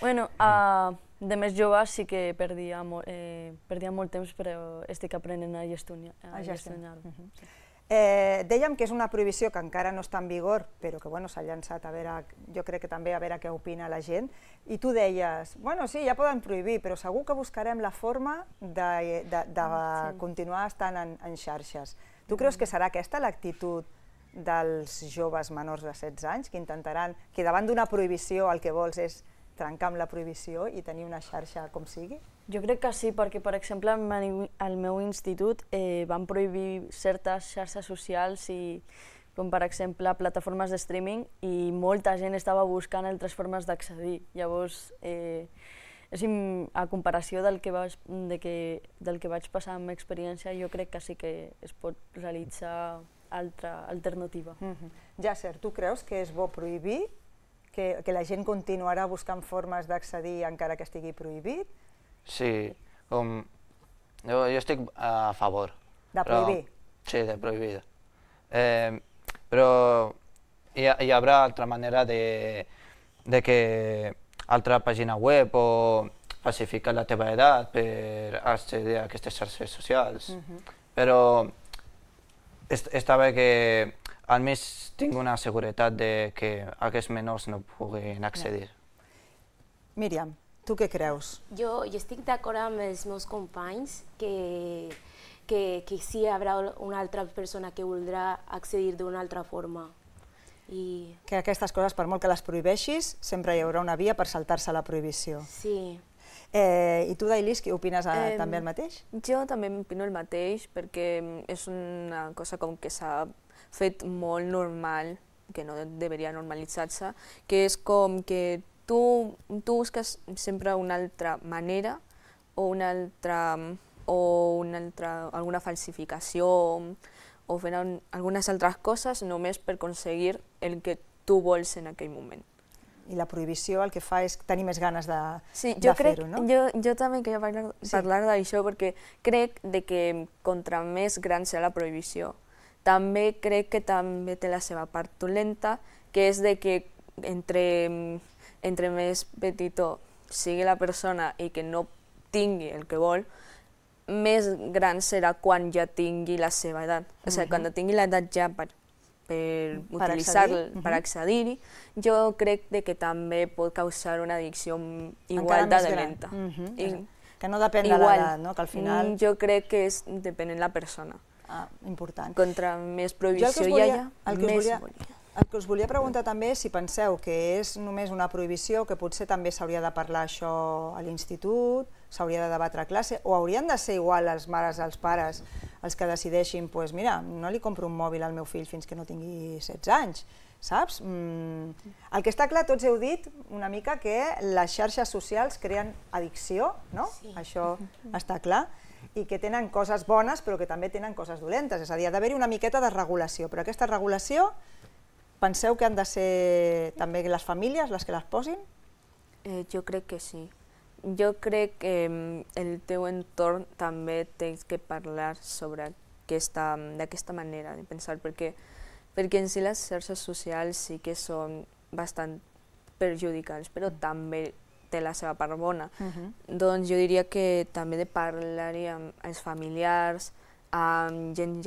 Bueno, uh, de més jove sí que perdia, mo eh, perdia molt temps, però estic aprenent a gestionar-ho. A gestionar uh -huh. sí. Eh, dèiem que és una prohibició que encara no està en vigor, però que bueno, s'ha llançat a veure, jo crec que també a veure què opina la gent, i tu deies, bueno, sí, ja poden prohibir, però segur que buscarem la forma de, de, de sí. continuar estant en, en xarxes. Tu creus que serà aquesta l'actitud dels joves menors de setze anys, que intentaran, que davant d'una prohibició el que vols és trencar amb la prohibició i tenir una xarxa com sigui? Jo crec que sí, perquè, per exemple, al meu institut eh, van prohibir certes xarxes socials, i, com per exemple plataformes de streaming, i molta gent estava buscant altres formes d'accedir. Llavors, eh, és, a comparació del que, vaig, de que, del que vaig passar amb experiència, jo crec que sí que es pot realitzar altra alternativa. Mm-hmm. Yasser, tu creus que és bo prohibir? Que, que la gent continuarà buscant formes d'accedir encara que estigui prohibit? Sí, com... Jo, jo estic a favor. De prohibir? Però, sí, de prohibir. Eh, però hi, hi haurà altra manera de, de que altra pàgina web o falsificar la teva edat per accedir a aquestes xarxes socials. Mm-hmm. Però est, està bé que almenys tinc una seguretat de que aquests menors no puguin accedir. Míriam, tu què creus? Jo, jo estic d'acord amb els meus companys que, que, que sí hi haurà una altra persona que voldrà accedir d'una altra forma. I... Que aquestes coses, per molt que les prohibeixis, sempre hi haurà una via per saltar-se la prohibició. Sí. Eh, I tu, Dailis, què opines eh, Eh, també el mateix? Jo també opino el mateix perquè és una cosa com que s'ha fet molt normal, que no deberia normalitzar-se, que és com que tu, tu busques sempre una altra manera o una altra, o una altra, alguna falsificació o fer algunes altres coses només per aconseguir el que tu vols en aquell moment. I la prohibició el que fa és tenir més ganes de, sí, de fer-ho, no? Jo, jo també queria parlar, Sí. parlar d'això perquè crec de que contra més gran serà la prohibició, també crec que també té la seva part dolenta, que és de que entre, entre més petitó sigui la persona i que no tingui el que vol, més gran serà quan ja tingui la seva edat. O sigui, quan tingui l'edat ja per, per Per utilitzar-lo, accedir. per accedir-hi, jo crec de que també pot causar una addicció Encara igual de més gran. dolenta. Mhm. I- Que no depèn de Igual. l'edat, no? Que al final... Mm, Jo crec que és depenent de la persona. Ah, important. Contra més Jo el que prohibició us hi volia, hagi, el que us més volia, volia. el que us volia preguntar també és si penseu que és només una prohibició, que potser també s'hauria de parlar això a l'institut, s'hauria de debatre a classe, o haurien de ser igual les mares els pares els que decideixin, pues mira, no li compro un mòbil al meu fill fins que no tingui setze anys, saps? Mm. El que està clar, tots heu dit una mica que les xarxes socials creen addicció, no? Sí. Això està clar, i que tenen coses bones però que també tenen coses dolentes, és a dir, ha d'haver-hi una miqueta de regulació, però aquesta regulació penseu que han de ser també les famílies les que les posin? Eh, jo crec que sí. Jo crec que mm, el teu entorn també tens que parlar sobre aquesta, d'aquesta manera de pensar, perquè, perquè en si les xarxes socials sí que són bastant perjudicals, però també té la seva part bona. Uh-huh. Doncs jo diria que també de parlar-hi amb els familiars, amb gent,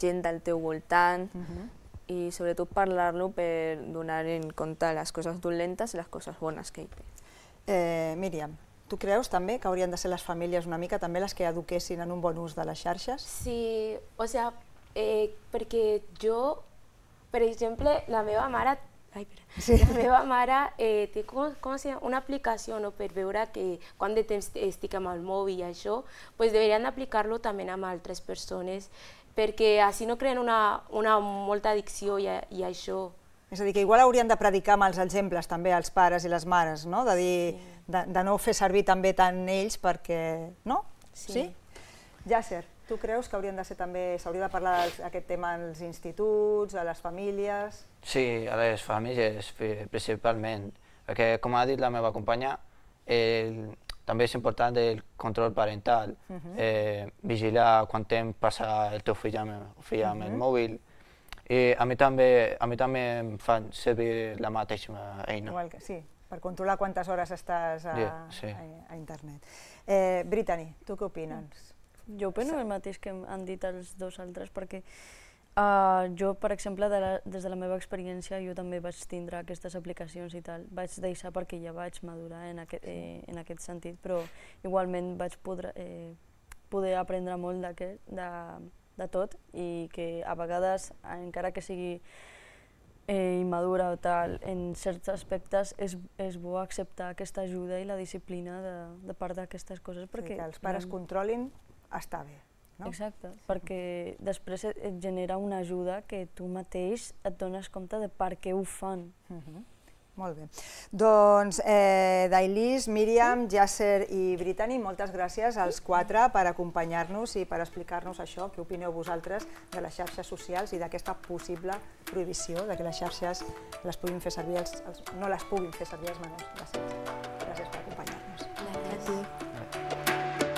gent del teu voltant, Uh-huh. i sobretot parlar-lo per donar en compte les coses dolentes i les coses bones que hi té. Eh, Míriam, tu creus també que haurien de ser les famílies una mica també les que eduquessin en un bon ús de les xarxes? Sí, o sea, eh, perquè jo, per exemple, la meva mare, ai, espera, Sí. la meva mare eh, té com, com se llama? Una aplicació, no, per veure que quant de temps estic amb el mòbil i això, pues deberien aplicar-lo també amb altres persones, perquè així no creen una, una molta addicció i, i això. És a dir, que igual haurien de predicar amb els exemples també als pares i les mares, no? De dir, Sí. de, de no fer servir també tant ells perquè... no? Sí. Yasser, tu creus que haurien de ser també, s'hauria de parlar d'aquest tema als instituts, a les famílies? Sí, a les famílies pri- principalment, perquè com ha dit la meva companya, el, també és important el control parental, Mhm. eh, vigilar quant temps passa el teu fill amb, el fill amb el Mhm. mòbil. I a mi també, a mi també em fan servir la mateixa eina. Igual que, sí, per controlar quantes hores estàs a, Yeah, sí. a, a internet. Eh, Brittany, tu què opines? Jo opino el mateix que han dit els dos altres, perquè uh, jo, per exemple, de la, des de la meva experiència, jo també vaig tindre aquestes aplicacions i tal. Vaig deixar perquè ja vaig madurar en aquest, eh, en aquest sentit, però igualment vaig poder, eh, poder aprendre molt d'aquest, de, de tot, i que a vegades, encara que sigui eh, immadura o tal, en certs aspectes és, és bo acceptar aquesta ajuda i la disciplina de, de part d'aquestes coses. Perquè Perquè que els pares realment- controlin està bé. No? Exacte, perquè després et et genera una ajuda que tu mateix et dones compte de per què ho fan. Mhm. Molt bé. Doncs, eh, Dailis, Míriam, Yasser i Brittany, moltes gràcies als quatre per acompanyar-nos i per explicar-nos això, què opineu vosaltres de les xarxes socials i d'aquesta possible prohibició, de que les xarxes les puguin fer servir els, els, no les puguin fer servir els menors. Gràcies. Gràcies per acompanyar-nos. Gràcies.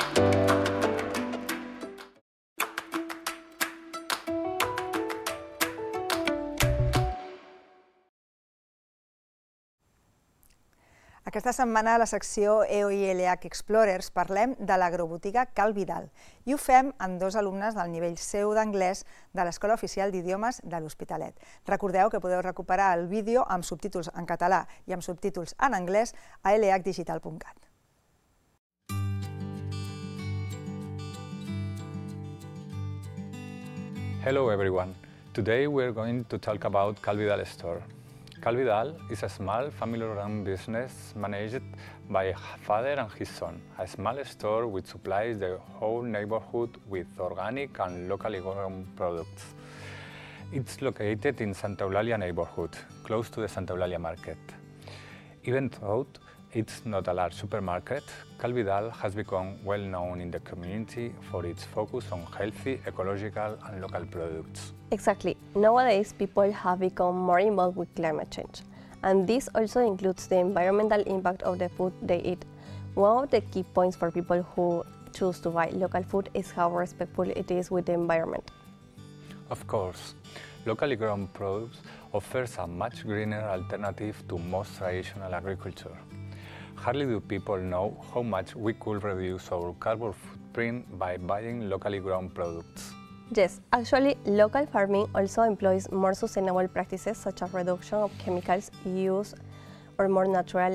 Aquesta setmana a la secció E O I L H Explorers parlem de l'agrobotiga Cal Vidal i ho fem amb dos alumnes del nivell C u d'anglès de l'Escola Oficial d'Idiomes de l'Hospitalet. Recordeu que podeu recuperar el vídeo amb subtítols en català i amb subtítols en anglès a l h digital punt cat. Hello everyone. Today we're going to talk about Cal Vidal Store. Cal Vidal is a small family-run business managed by a father and his son, a small store which supplies the whole neighborhood with organic and locally grown products. It's located in Santa Eulalia neighborhood, close to the Santa Eulalia market. Even though it's not a large supermarket, Cal Vidal has become well known in the community for its focus on healthy, ecological and local products. Exactly. Nowadays, people have become more involved with climate change, and this also includes the environmental impact of the food they eat. One of the key points for people who choose to buy local food is how respectful it is with the environment. Of course, locally grown produce offers a much greener alternative to most traditional agriculture. Hardly do people know how much we could reduce our carbon footprint by buying locally grown products. Yes, actually, local farming also employs more sustainable practices such as reduction of chemicals use or more natural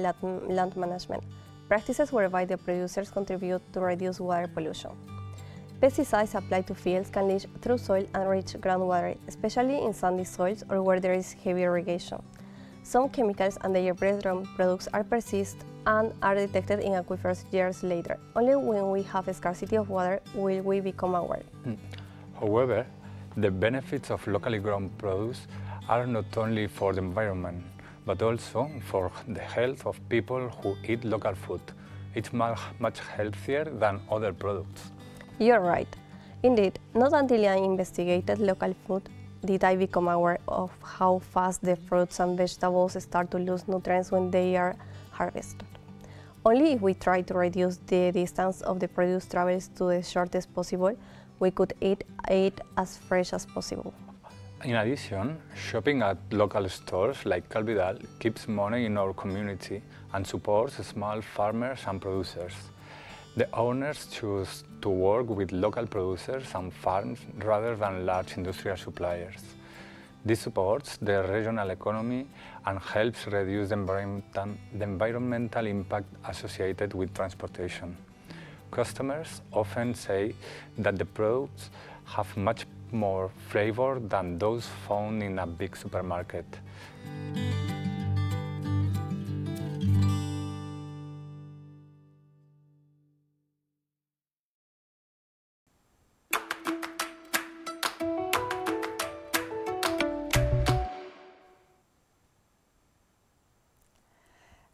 land management, practices whereby the producers contribute to reduce water pollution. Pesticides applied to fields can leach through soil and reach groundwater, especially in sandy soils or where there is heavy irrigation. Some chemicals and their breakdown products are persist and are detected in aquifers years later. Only when we have a scarcity of water will we become aware. Mm. However, the benefits of locally grown produce are not only for the environment, but also for the health of people who eat local food. It's much healthier than other products. You're right. Indeed, not until I investigated local food did I become aware of how fast the fruits and vegetables start to lose nutrients when they are harvested. Only if we try to reduce the distance of the produce travels to the shortest possible, we could eat it as fresh as possible. In addition, shopping at local stores like Cal Vidal keeps money in our community and supports small farmers and producers. The owners choose to work with local producers and farms rather than large industrial suppliers. This supports the regional economy and helps reduce the environmental, the environmental impact associated with transportation. Customers often say that the products have much more flavor than those found in a big supermarket.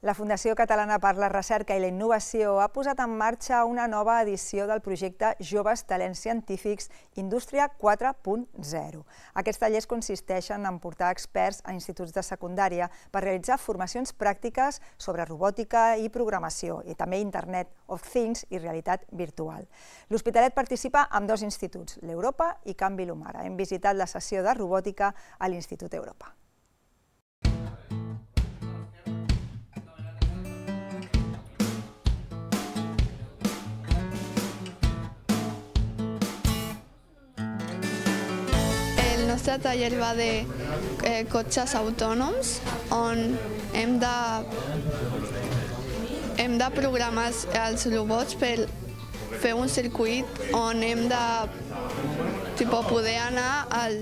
La Fundació Catalana per la Recerca i la Innovació ha posat en marxa una nova edició del projecte Joves Talents Científics Indústria quatre punt zero. Aquests tallers consisteixen en portar experts a instituts de secundària per realitzar formacions pràctiques sobre robòtica i programació i també Internet of Things i realitat virtual. L'Hospitalet participa amb dos instituts, l'Europa i Can Vilomara. Hem visitat la sessió de robòtica a l'Institut Europa. El nostre taller va de eh, cotxes autònoms on hem de, hem de programar els robots per fer un circuit on hem de tipo, poder anar al,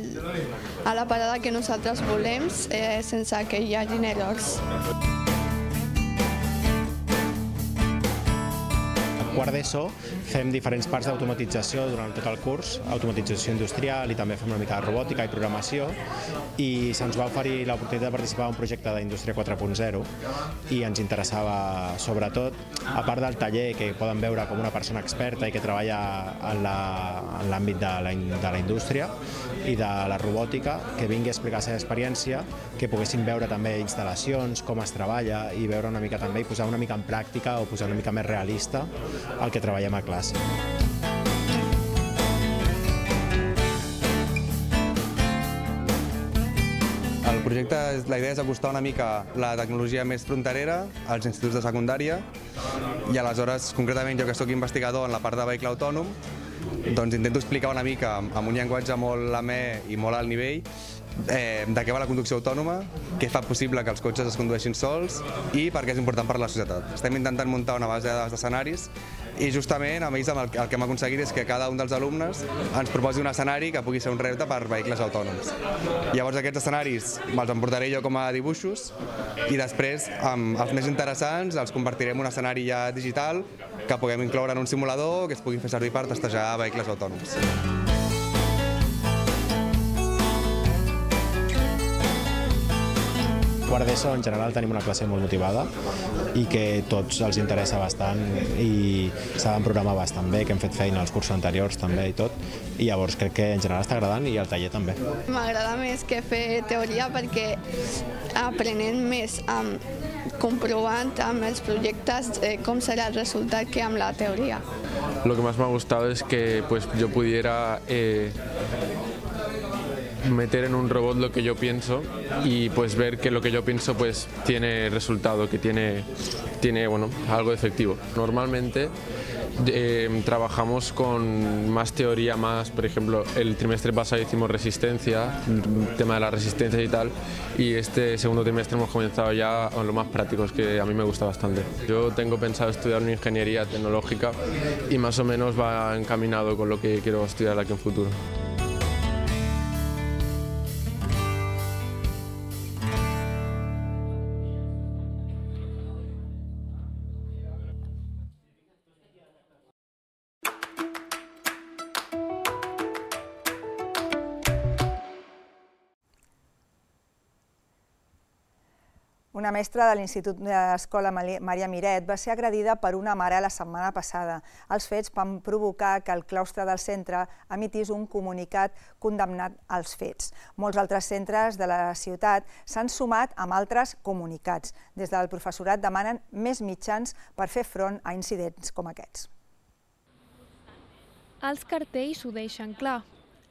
a la parada que nosaltres volem eh, sense que hi hagi errors. Quart d'ESO fem diferents parts d'automatització durant tot el curs, automatització industrial i també fem una mica de robòtica i programació, i se'ns va oferir l'oportunitat de participar en un projecte d'Indústria quatre punt zero i ens interessava sobretot, a part del taller que poden veure com una persona experta i que treballa en l'àmbit de, la, de la indústria i de la robòtica, que vingui a explicar la seva experiència, que poguessin veure també instal·lacions, com es treballa i veure una mica també i posar una mica en pràctica o posar una mica més realista el que treballem a classe. El projecte, la idea és acostar una mica la tecnologia més fronterera als instituts de secundària i aleshores, concretament jo que soc investigador en la part de vehicle autònom, doncs intento explicar una mica amb un llenguatge molt amè i molt alt nivell eh, de què va la conducció autònoma, què fa possible que els cotxes es condueixin sols i per què és important per a la societat. Estem intentant muntar una base de dades d'escenaris i justament amb ells el que hem aconseguit és que cada un dels alumnes ens proposi un escenari que pugui ser un repte per vehicles autònoms. Llavors aquests escenaris me'ls emportaré jo com a dibuixos i després amb els més interessants els convertirem en un escenari ja digital que puguem incloure en un simulador que es pugui fer servir per testejar vehicles autònoms. Quart d'ESO en general tenim una classe molt motivada i que tots els interessa bastant i saben programar bastant bé, que hem fet feina als cursos anteriors també i tot, i llavors crec que en general està agradant i el taller també. M'agrada més que fer teoria perquè aprenent més amb comprovant amb els projectes eh, com será el resultat que amb la teoría. Lo que más me ha gustado es que pues, yo pudiera eh, meter en un robot lo que yo pienso y pues ver que lo que yo pienso pues tiene resultado, que tiene, tiene bueno, algo efectivo. Normalmente eh, trabajamos con más teoría, más, por ejemplo, el trimestre pasado hicimos resistencia, el tema de la resistencia y tal, y este segundo trimestre hemos comenzado ya con lo más prácticos, que a mí me gusta bastante. Yo tengo pensado estudiar una ingeniería tecnológica y más o menos va encaminado con lo que quiero estudiar aquí en futuro. Una mestra de l'Institut d'Escola Maria Miret va ser agredida per una mare la setmana passada. Els fets van provocar que el claustre del centre emitís un comunicat condemnat als fets. Molts altres centres de la ciutat s'han sumat amb altres comunicats. Des del professorat demanen més mitjans per fer front a incidents com aquests. Els cartells ho deixen clar.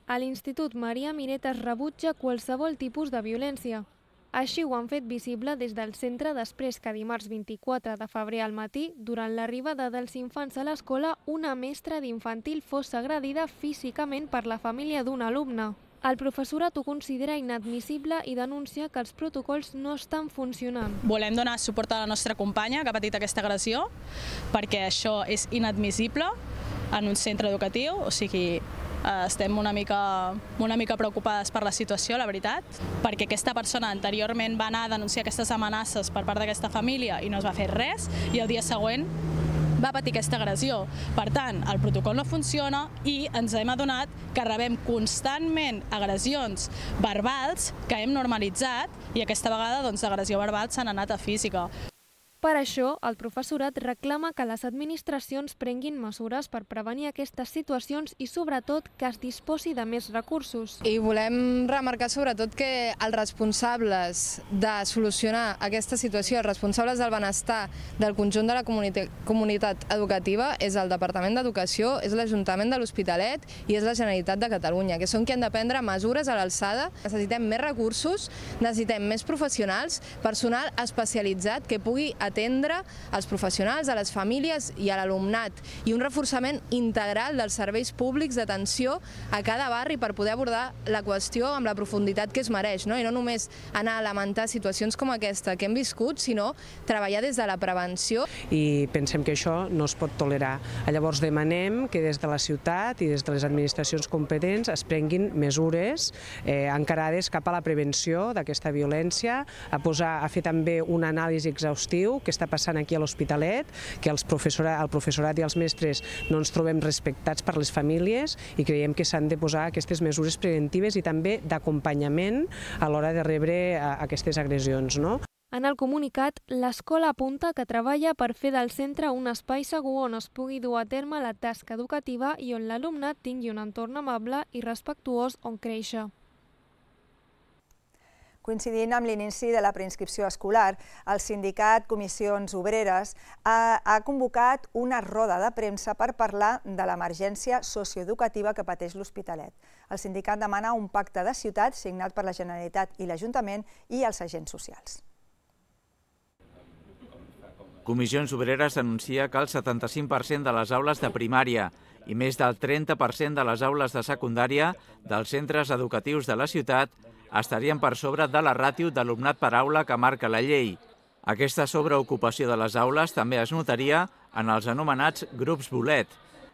A l'Institut Maria Miret es rebutja qualsevol tipus de violència. Així ho han fet visible des del centre després que dimarts vint-i-quatre de febrer al matí, durant l'arribada dels infants a l'escola, una mestra d'infantil fos agredida físicament per la família d'un alumne. El professorat ho considera inadmissible i denuncia que els protocols no estan funcionant. Volem donar suport a la nostra companya que ha patit aquesta agressió, perquè això és inadmissible en un centre educatiu, o sigui, estem una mica, una mica preocupades per la situació, la veritat, perquè aquesta persona anteriorment va anar a denunciar aquestes amenaces per part d'aquesta família i no es va fer res, i el dia següent va patir aquesta agressió. Per tant, el protocol no funciona i ens hem adonat que rebem constantment agressions verbals que hem normalitzat i aquesta vegada doncs, d'agressió verbal s'han anat a física. Per això, el professorat reclama que les administracions prenguin mesures per prevenir aquestes situacions i, sobretot, que es disposi de més recursos. I volem remarcar, sobretot, que els responsables de solucionar aquesta situació, els responsables del benestar del conjunt de la comunitat educativa, és el Departament d'Educació, és l'Ajuntament de l'Hospitalet i és la Generalitat de Catalunya, que són qui han de prendre mesures a l'alçada. Necessitem més recursos, necessitem més professionals, personal especialitzat que pugui atendre els professionals, a les famílies i a l'alumnat, i un reforçament integral dels serveis públics d'atenció a cada barri per poder abordar la qüestió amb la profunditat que es mereix, no? I no només anar a lamentar situacions com aquesta que hem viscut, sinó treballar des de la prevenció. I pensem que això no es pot tolerar. Llavors demanem que des de la ciutat i des de les administracions competents es prenguin mesures eh, encarades cap a la prevenció d'aquesta violència, a, posar, a fer també un anàlisi exhaustiu que està passant aquí a l'Hospitalet, que els professorat, el professorat i els mestres no ens trobem respectats per les famílies i creiem que s'han de posar aquestes mesures preventives i també d'acompanyament a l'hora de rebre aquestes agressions, no? En el comunicat, l'escola apunta que treballa per fer del centre un espai segur on es pugui dur a terme la tasca educativa i on l'alumnat tingui un entorn amable i respectuós on créixer. Coincidint amb l'inici de la preinscripció escolar, el sindicat Comissions Obreres ha, ha convocat una roda de premsa per parlar de l'emergència socioeducativa que pateix l'Hospitalet. El sindicat demana un pacte de ciutat signat per la Generalitat i l'Ajuntament i els agents socials. Comissions Obreres anuncia que el setanta-cinc per cent de les aules de primària i més del trenta per cent de les aules de secundària dels centres educatius de la ciutat estarien per sobre de la ràtio d'alumnat per aula que marca la llei. Aquesta sobreocupació de les aules també es notaria en els anomenats grups bolet,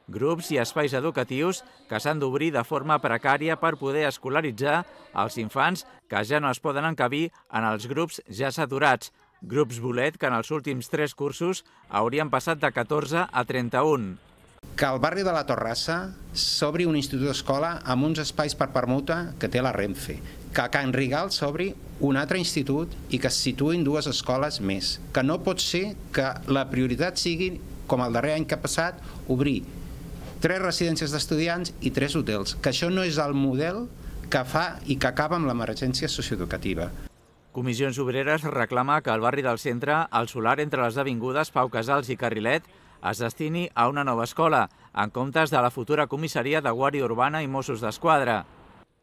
grups i espais educatius que s'han d'obrir de forma precària per poder escolaritzar els infants que ja no es poden encabir en els grups ja saturats, grups bolet que en els últims tres cursos haurien passat de catorze a trenta-un. Que al barri de la Torrassa s'obri un institut d'escola amb uns espais per permuta que té la Renfe, que a Can Rigal s'obri un altre institut i que es situïn dues escoles més, que no pot ser que la prioritat sigui, com el darrer any que ha passat, obrir tres residències d'estudiants i tres hotels, que això no és el model que fa i que acaba amb l'emergència socioeducativa. Comissions Obreres reclama que al barri del centre, el solar entre les avingudes Pau Casals i Carrilet es destini a una nova escola, en comptes de la futura comissaria de Guàrdia Urbana i Mossos d'Esquadra,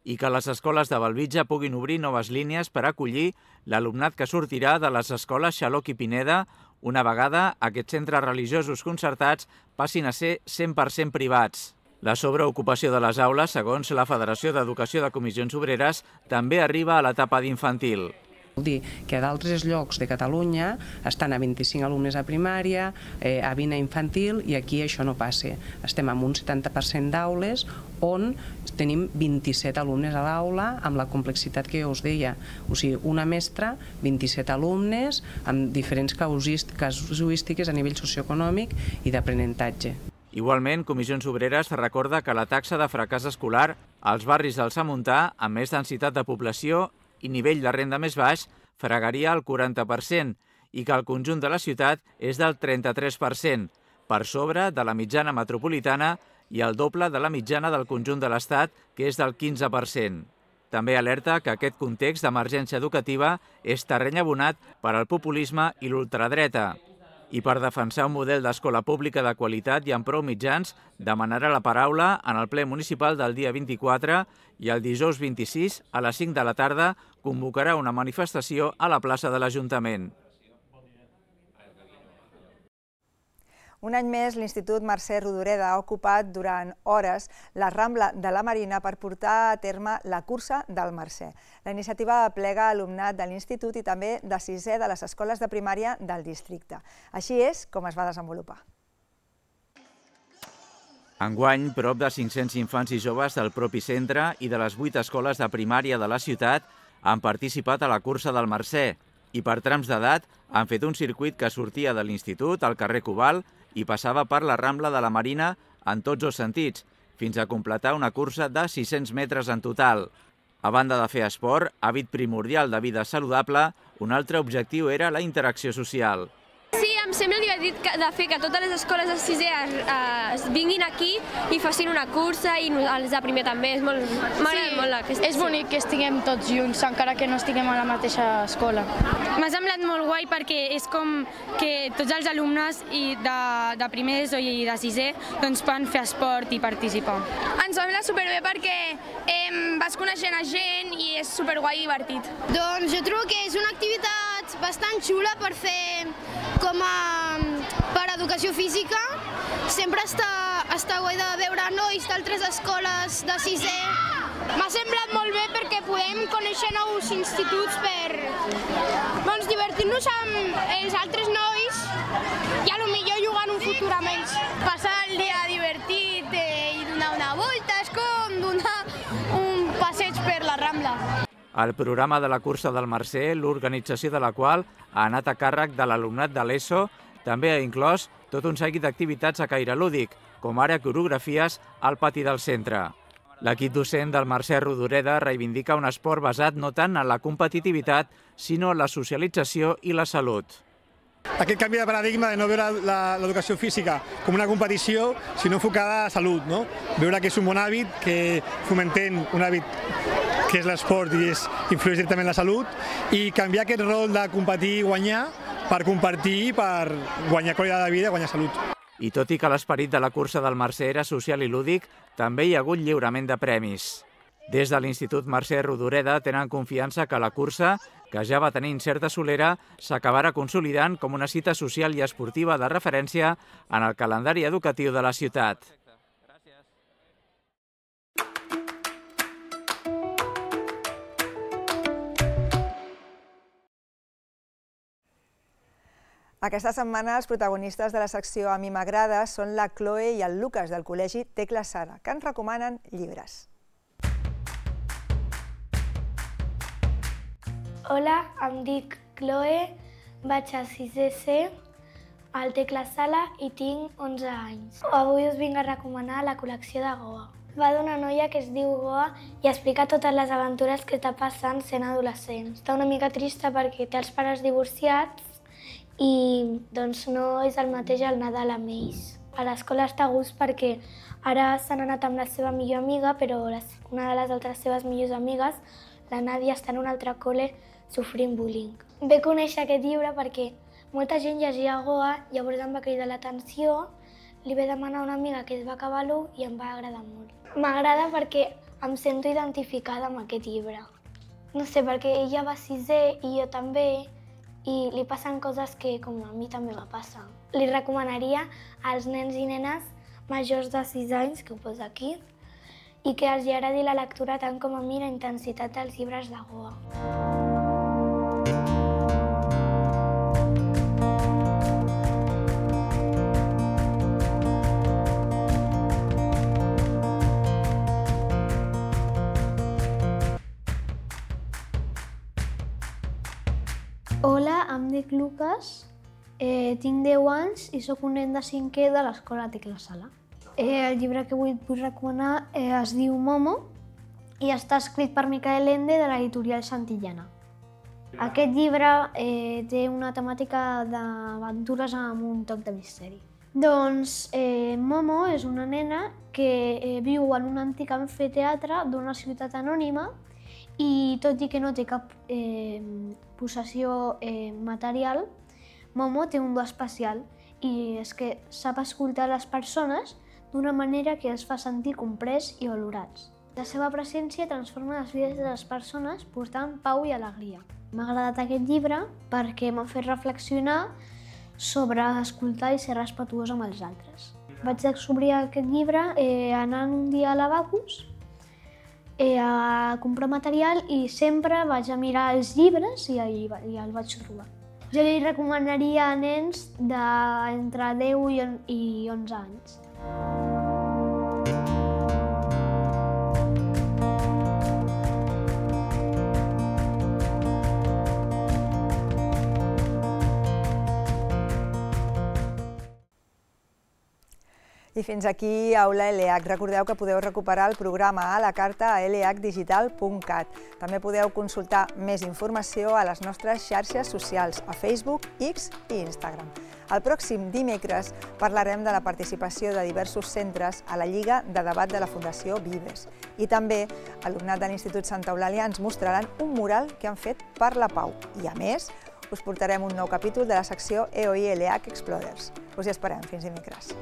i que les escoles de Bellvitge puguin obrir noves línies per acollir l'alumnat que sortirà de les escoles Xaloc i Pineda una vegada aquests centres religiosos concertats passin a ser cent per cent privats. La sobreocupació de les aules, segons la Federació d'Educació de Comissions Obreres, també arriba a l'etapa d'infantil. Vol dir que a d'altres llocs de Catalunya estan a vint-i-cinc alumnes a primària, eh, a vint a infantil, i aquí això no passa. Estem amb un setanta per cent d'aules on tenim vint-i-set alumnes a l'aula amb la complexitat que jo us deia. O sigui, una mestra, vint-i-set alumnes amb diferents casuístiques a nivell socioeconòmic i d'aprenentatge. Igualment, Comissions Obreres recorda que la taxa de fracàs escolar als barris del Samuntà, amb més densitat de població i nivell de renda més baix, fregaria el quaranta per cent i que el conjunt de la ciutat és del trenta-tres per cent, per sobre de la mitjana metropolitana i el doble de la mitjana del conjunt de l'Estat, que és del quinze per cent. També alerta que aquest context d'emergència educativa és terreny abonat per al populisme i l'ultradreta. I per defensar un model d'escola pública de qualitat i amb prou mitjans, demanarà la paraula en el ple municipal del dia vint-i-quatre i el dijous vint-i-sis a les cinc de la tarda convocarà una manifestació a la plaça de l'Ajuntament. Un any més, l'Institut Mercè Rodoreda ha ocupat durant hores la Rambla de la Marina per portar a terme la cursa del Mercè. La iniciativa aplega alumnat de l'Institut i també de sisè de les escoles de primària del districte. Així és com es va desenvolupar. Enguany, prop de cinc-cents infants i joves del propi centre i de les vuit escoles de primària de la ciutat han participat a la cursa del Mercè i per trams d'edat han fet un circuit que sortia de l'Institut al carrer Cobalt i passava per la Rambla de la Marina en tots els sentits, fins a completar una cursa de sis-cents metres en total. A banda de fer esport, hàbit primordial de vida saludable, un altre objectiu era la interacció social. Sí, em sembla divertit de fer que totes les escoles de sisè es vinguin aquí i facin una cursa i els de primer també. M'agrada molt aquesta. És bonic que estiguem tots junts, encara que no estiguem a la mateixa escola. M'ha semblat molt guai perquè és com que tots els alumnes de primer d'ESO i de sisè poden fer esport i participar. Ens sembla superbé perquè vas coneixent a gent i és superguai i divertit. Doncs jo trobo que és una activitat bastant xula per fer com a per educació física. Sempre està, està guai de veure nois d'altres escoles de sisè. M'ha semblat molt bé perquè podem conèixer nous instituts per doncs, divertir-nos amb els altres nois i potser jugar en un futur amb ells. Passar el dia divertit i donar una volta és com donar un passeig per la Rambla. El programa de la cursa del Mercè, l'organització de la qual ha anat a càrrec de l'alumnat de l'ESO, també ha inclòs tot un seguit d'activitats a caire lúdic, com ara coreografies al pati del centre. L'equip docent del Mercè Rodoreda reivindica un esport basat no tant en la competitivitat, sinó en la socialització i la salut. Aquest canvi de paradigma de no veure l'educació física com una competició, sinó enfocada a salut, no? Veure que és un bon hàbit, que fomentem un hàbit que és l'esport i influeix directament en la salut, i canviar aquest rol de competir i guanyar per compartir, per guanyar qualitat de vida i guanyar salut. I tot i que l'esperit de la cursa del Mercè era social i lúdic, també hi ha hagut lliurament de premis. Des de l'Institut Mercè Rodoreda tenen confiança que la cursa, que ja va tenir certa solera, s'acabarà consolidant com una cita social i esportiva de referència en el calendari educatiu de la ciutat. Aquesta setmana els protagonistes de la secció A mi m'agrada són la Chloe i el Lucas del col·legi Tecla Sara, que ens recomanen llibres. Hola, em dic Chloe, vaig a sisè C al Tecla Sala i tinc onze anys. Avui us vinc a recomanar la col·lecció de Goa. Va d'una noia que es diu Goa i explica totes les aventures que està passant sent adolescent. Està una mica trista perquè té els pares divorciats i doncs no és el mateix el Nadal amb ells. A l'escola està a gust perquè ara s'han anat amb la seva millor amiga, però una de les altres seves millors amigues, la Nàdia, està en un altre col·le sofrint bullying. Ve conèixer aquest llibre perquè molta gent llegia a Goa, llavors em va cridar l'atenció, li vaig demanar a una amiga que es va acabar l'u i em va agradar molt. M'agrada perquè em sento identificada amb aquest llibre. No sé, perquè ella va a sisè i jo també, i li passen coses que com a mi també va passar. Li recomanaria als nens i nenes majors de sis anys, que ho posa aquí, i que els agradi la lectura tant com a mi la intensitat dels llibres de Goa. Hola, em dic Lucas, eh, tinc deu anys i sóc un nen de cinquè de l'escola Tecla Sala. Eh, el llibre que avui et vull recomanar eh, es diu Momo i està escrit per Micael Ende de l'editorial Santillana. Aquest llibre eh, té una temàtica d'aventures amb un toc de misteri. Doncs eh, Momo és una nena que eh, viu en un antic amfiteatre d'una ciutat anònima i tot i que no té cap eh, possessió eh, material, Momo té un do especial i és que sap escoltar les persones d'una manera que els fa sentir comprès i valorats. La seva presència transforma les vides de les persones portant pau i alegria. M'ha agradat aquest llibre perquè m'ha fet reflexionar sobre escoltar i ser respetuós amb els altres. Vaig descobrir aquest llibre eh, anant un dia a l'Abacus a comprar material i sempre vaig a mirar els llibres i, i, i el vaig trobar. Jo li recomanaria a nens d'entre deu i onze anys. I fins aquí Aula L H. Recordeu que podeu recuperar el programa a la carta a l h digital punt cat. També podeu consultar més informació a les nostres xarxes socials, a Facebook, X i Instagram. El pròxim dimecres parlarem de la participació de diversos centres a la Lliga de Debat de la Fundació Vives. I també alumnat de l'Institut Santa Eulàlia ens mostraran un mural que han fet per la pau. I a més, us portarem un nou capítol de la secció E O I L H Explorers. Us hi esperem. Fins dimecres.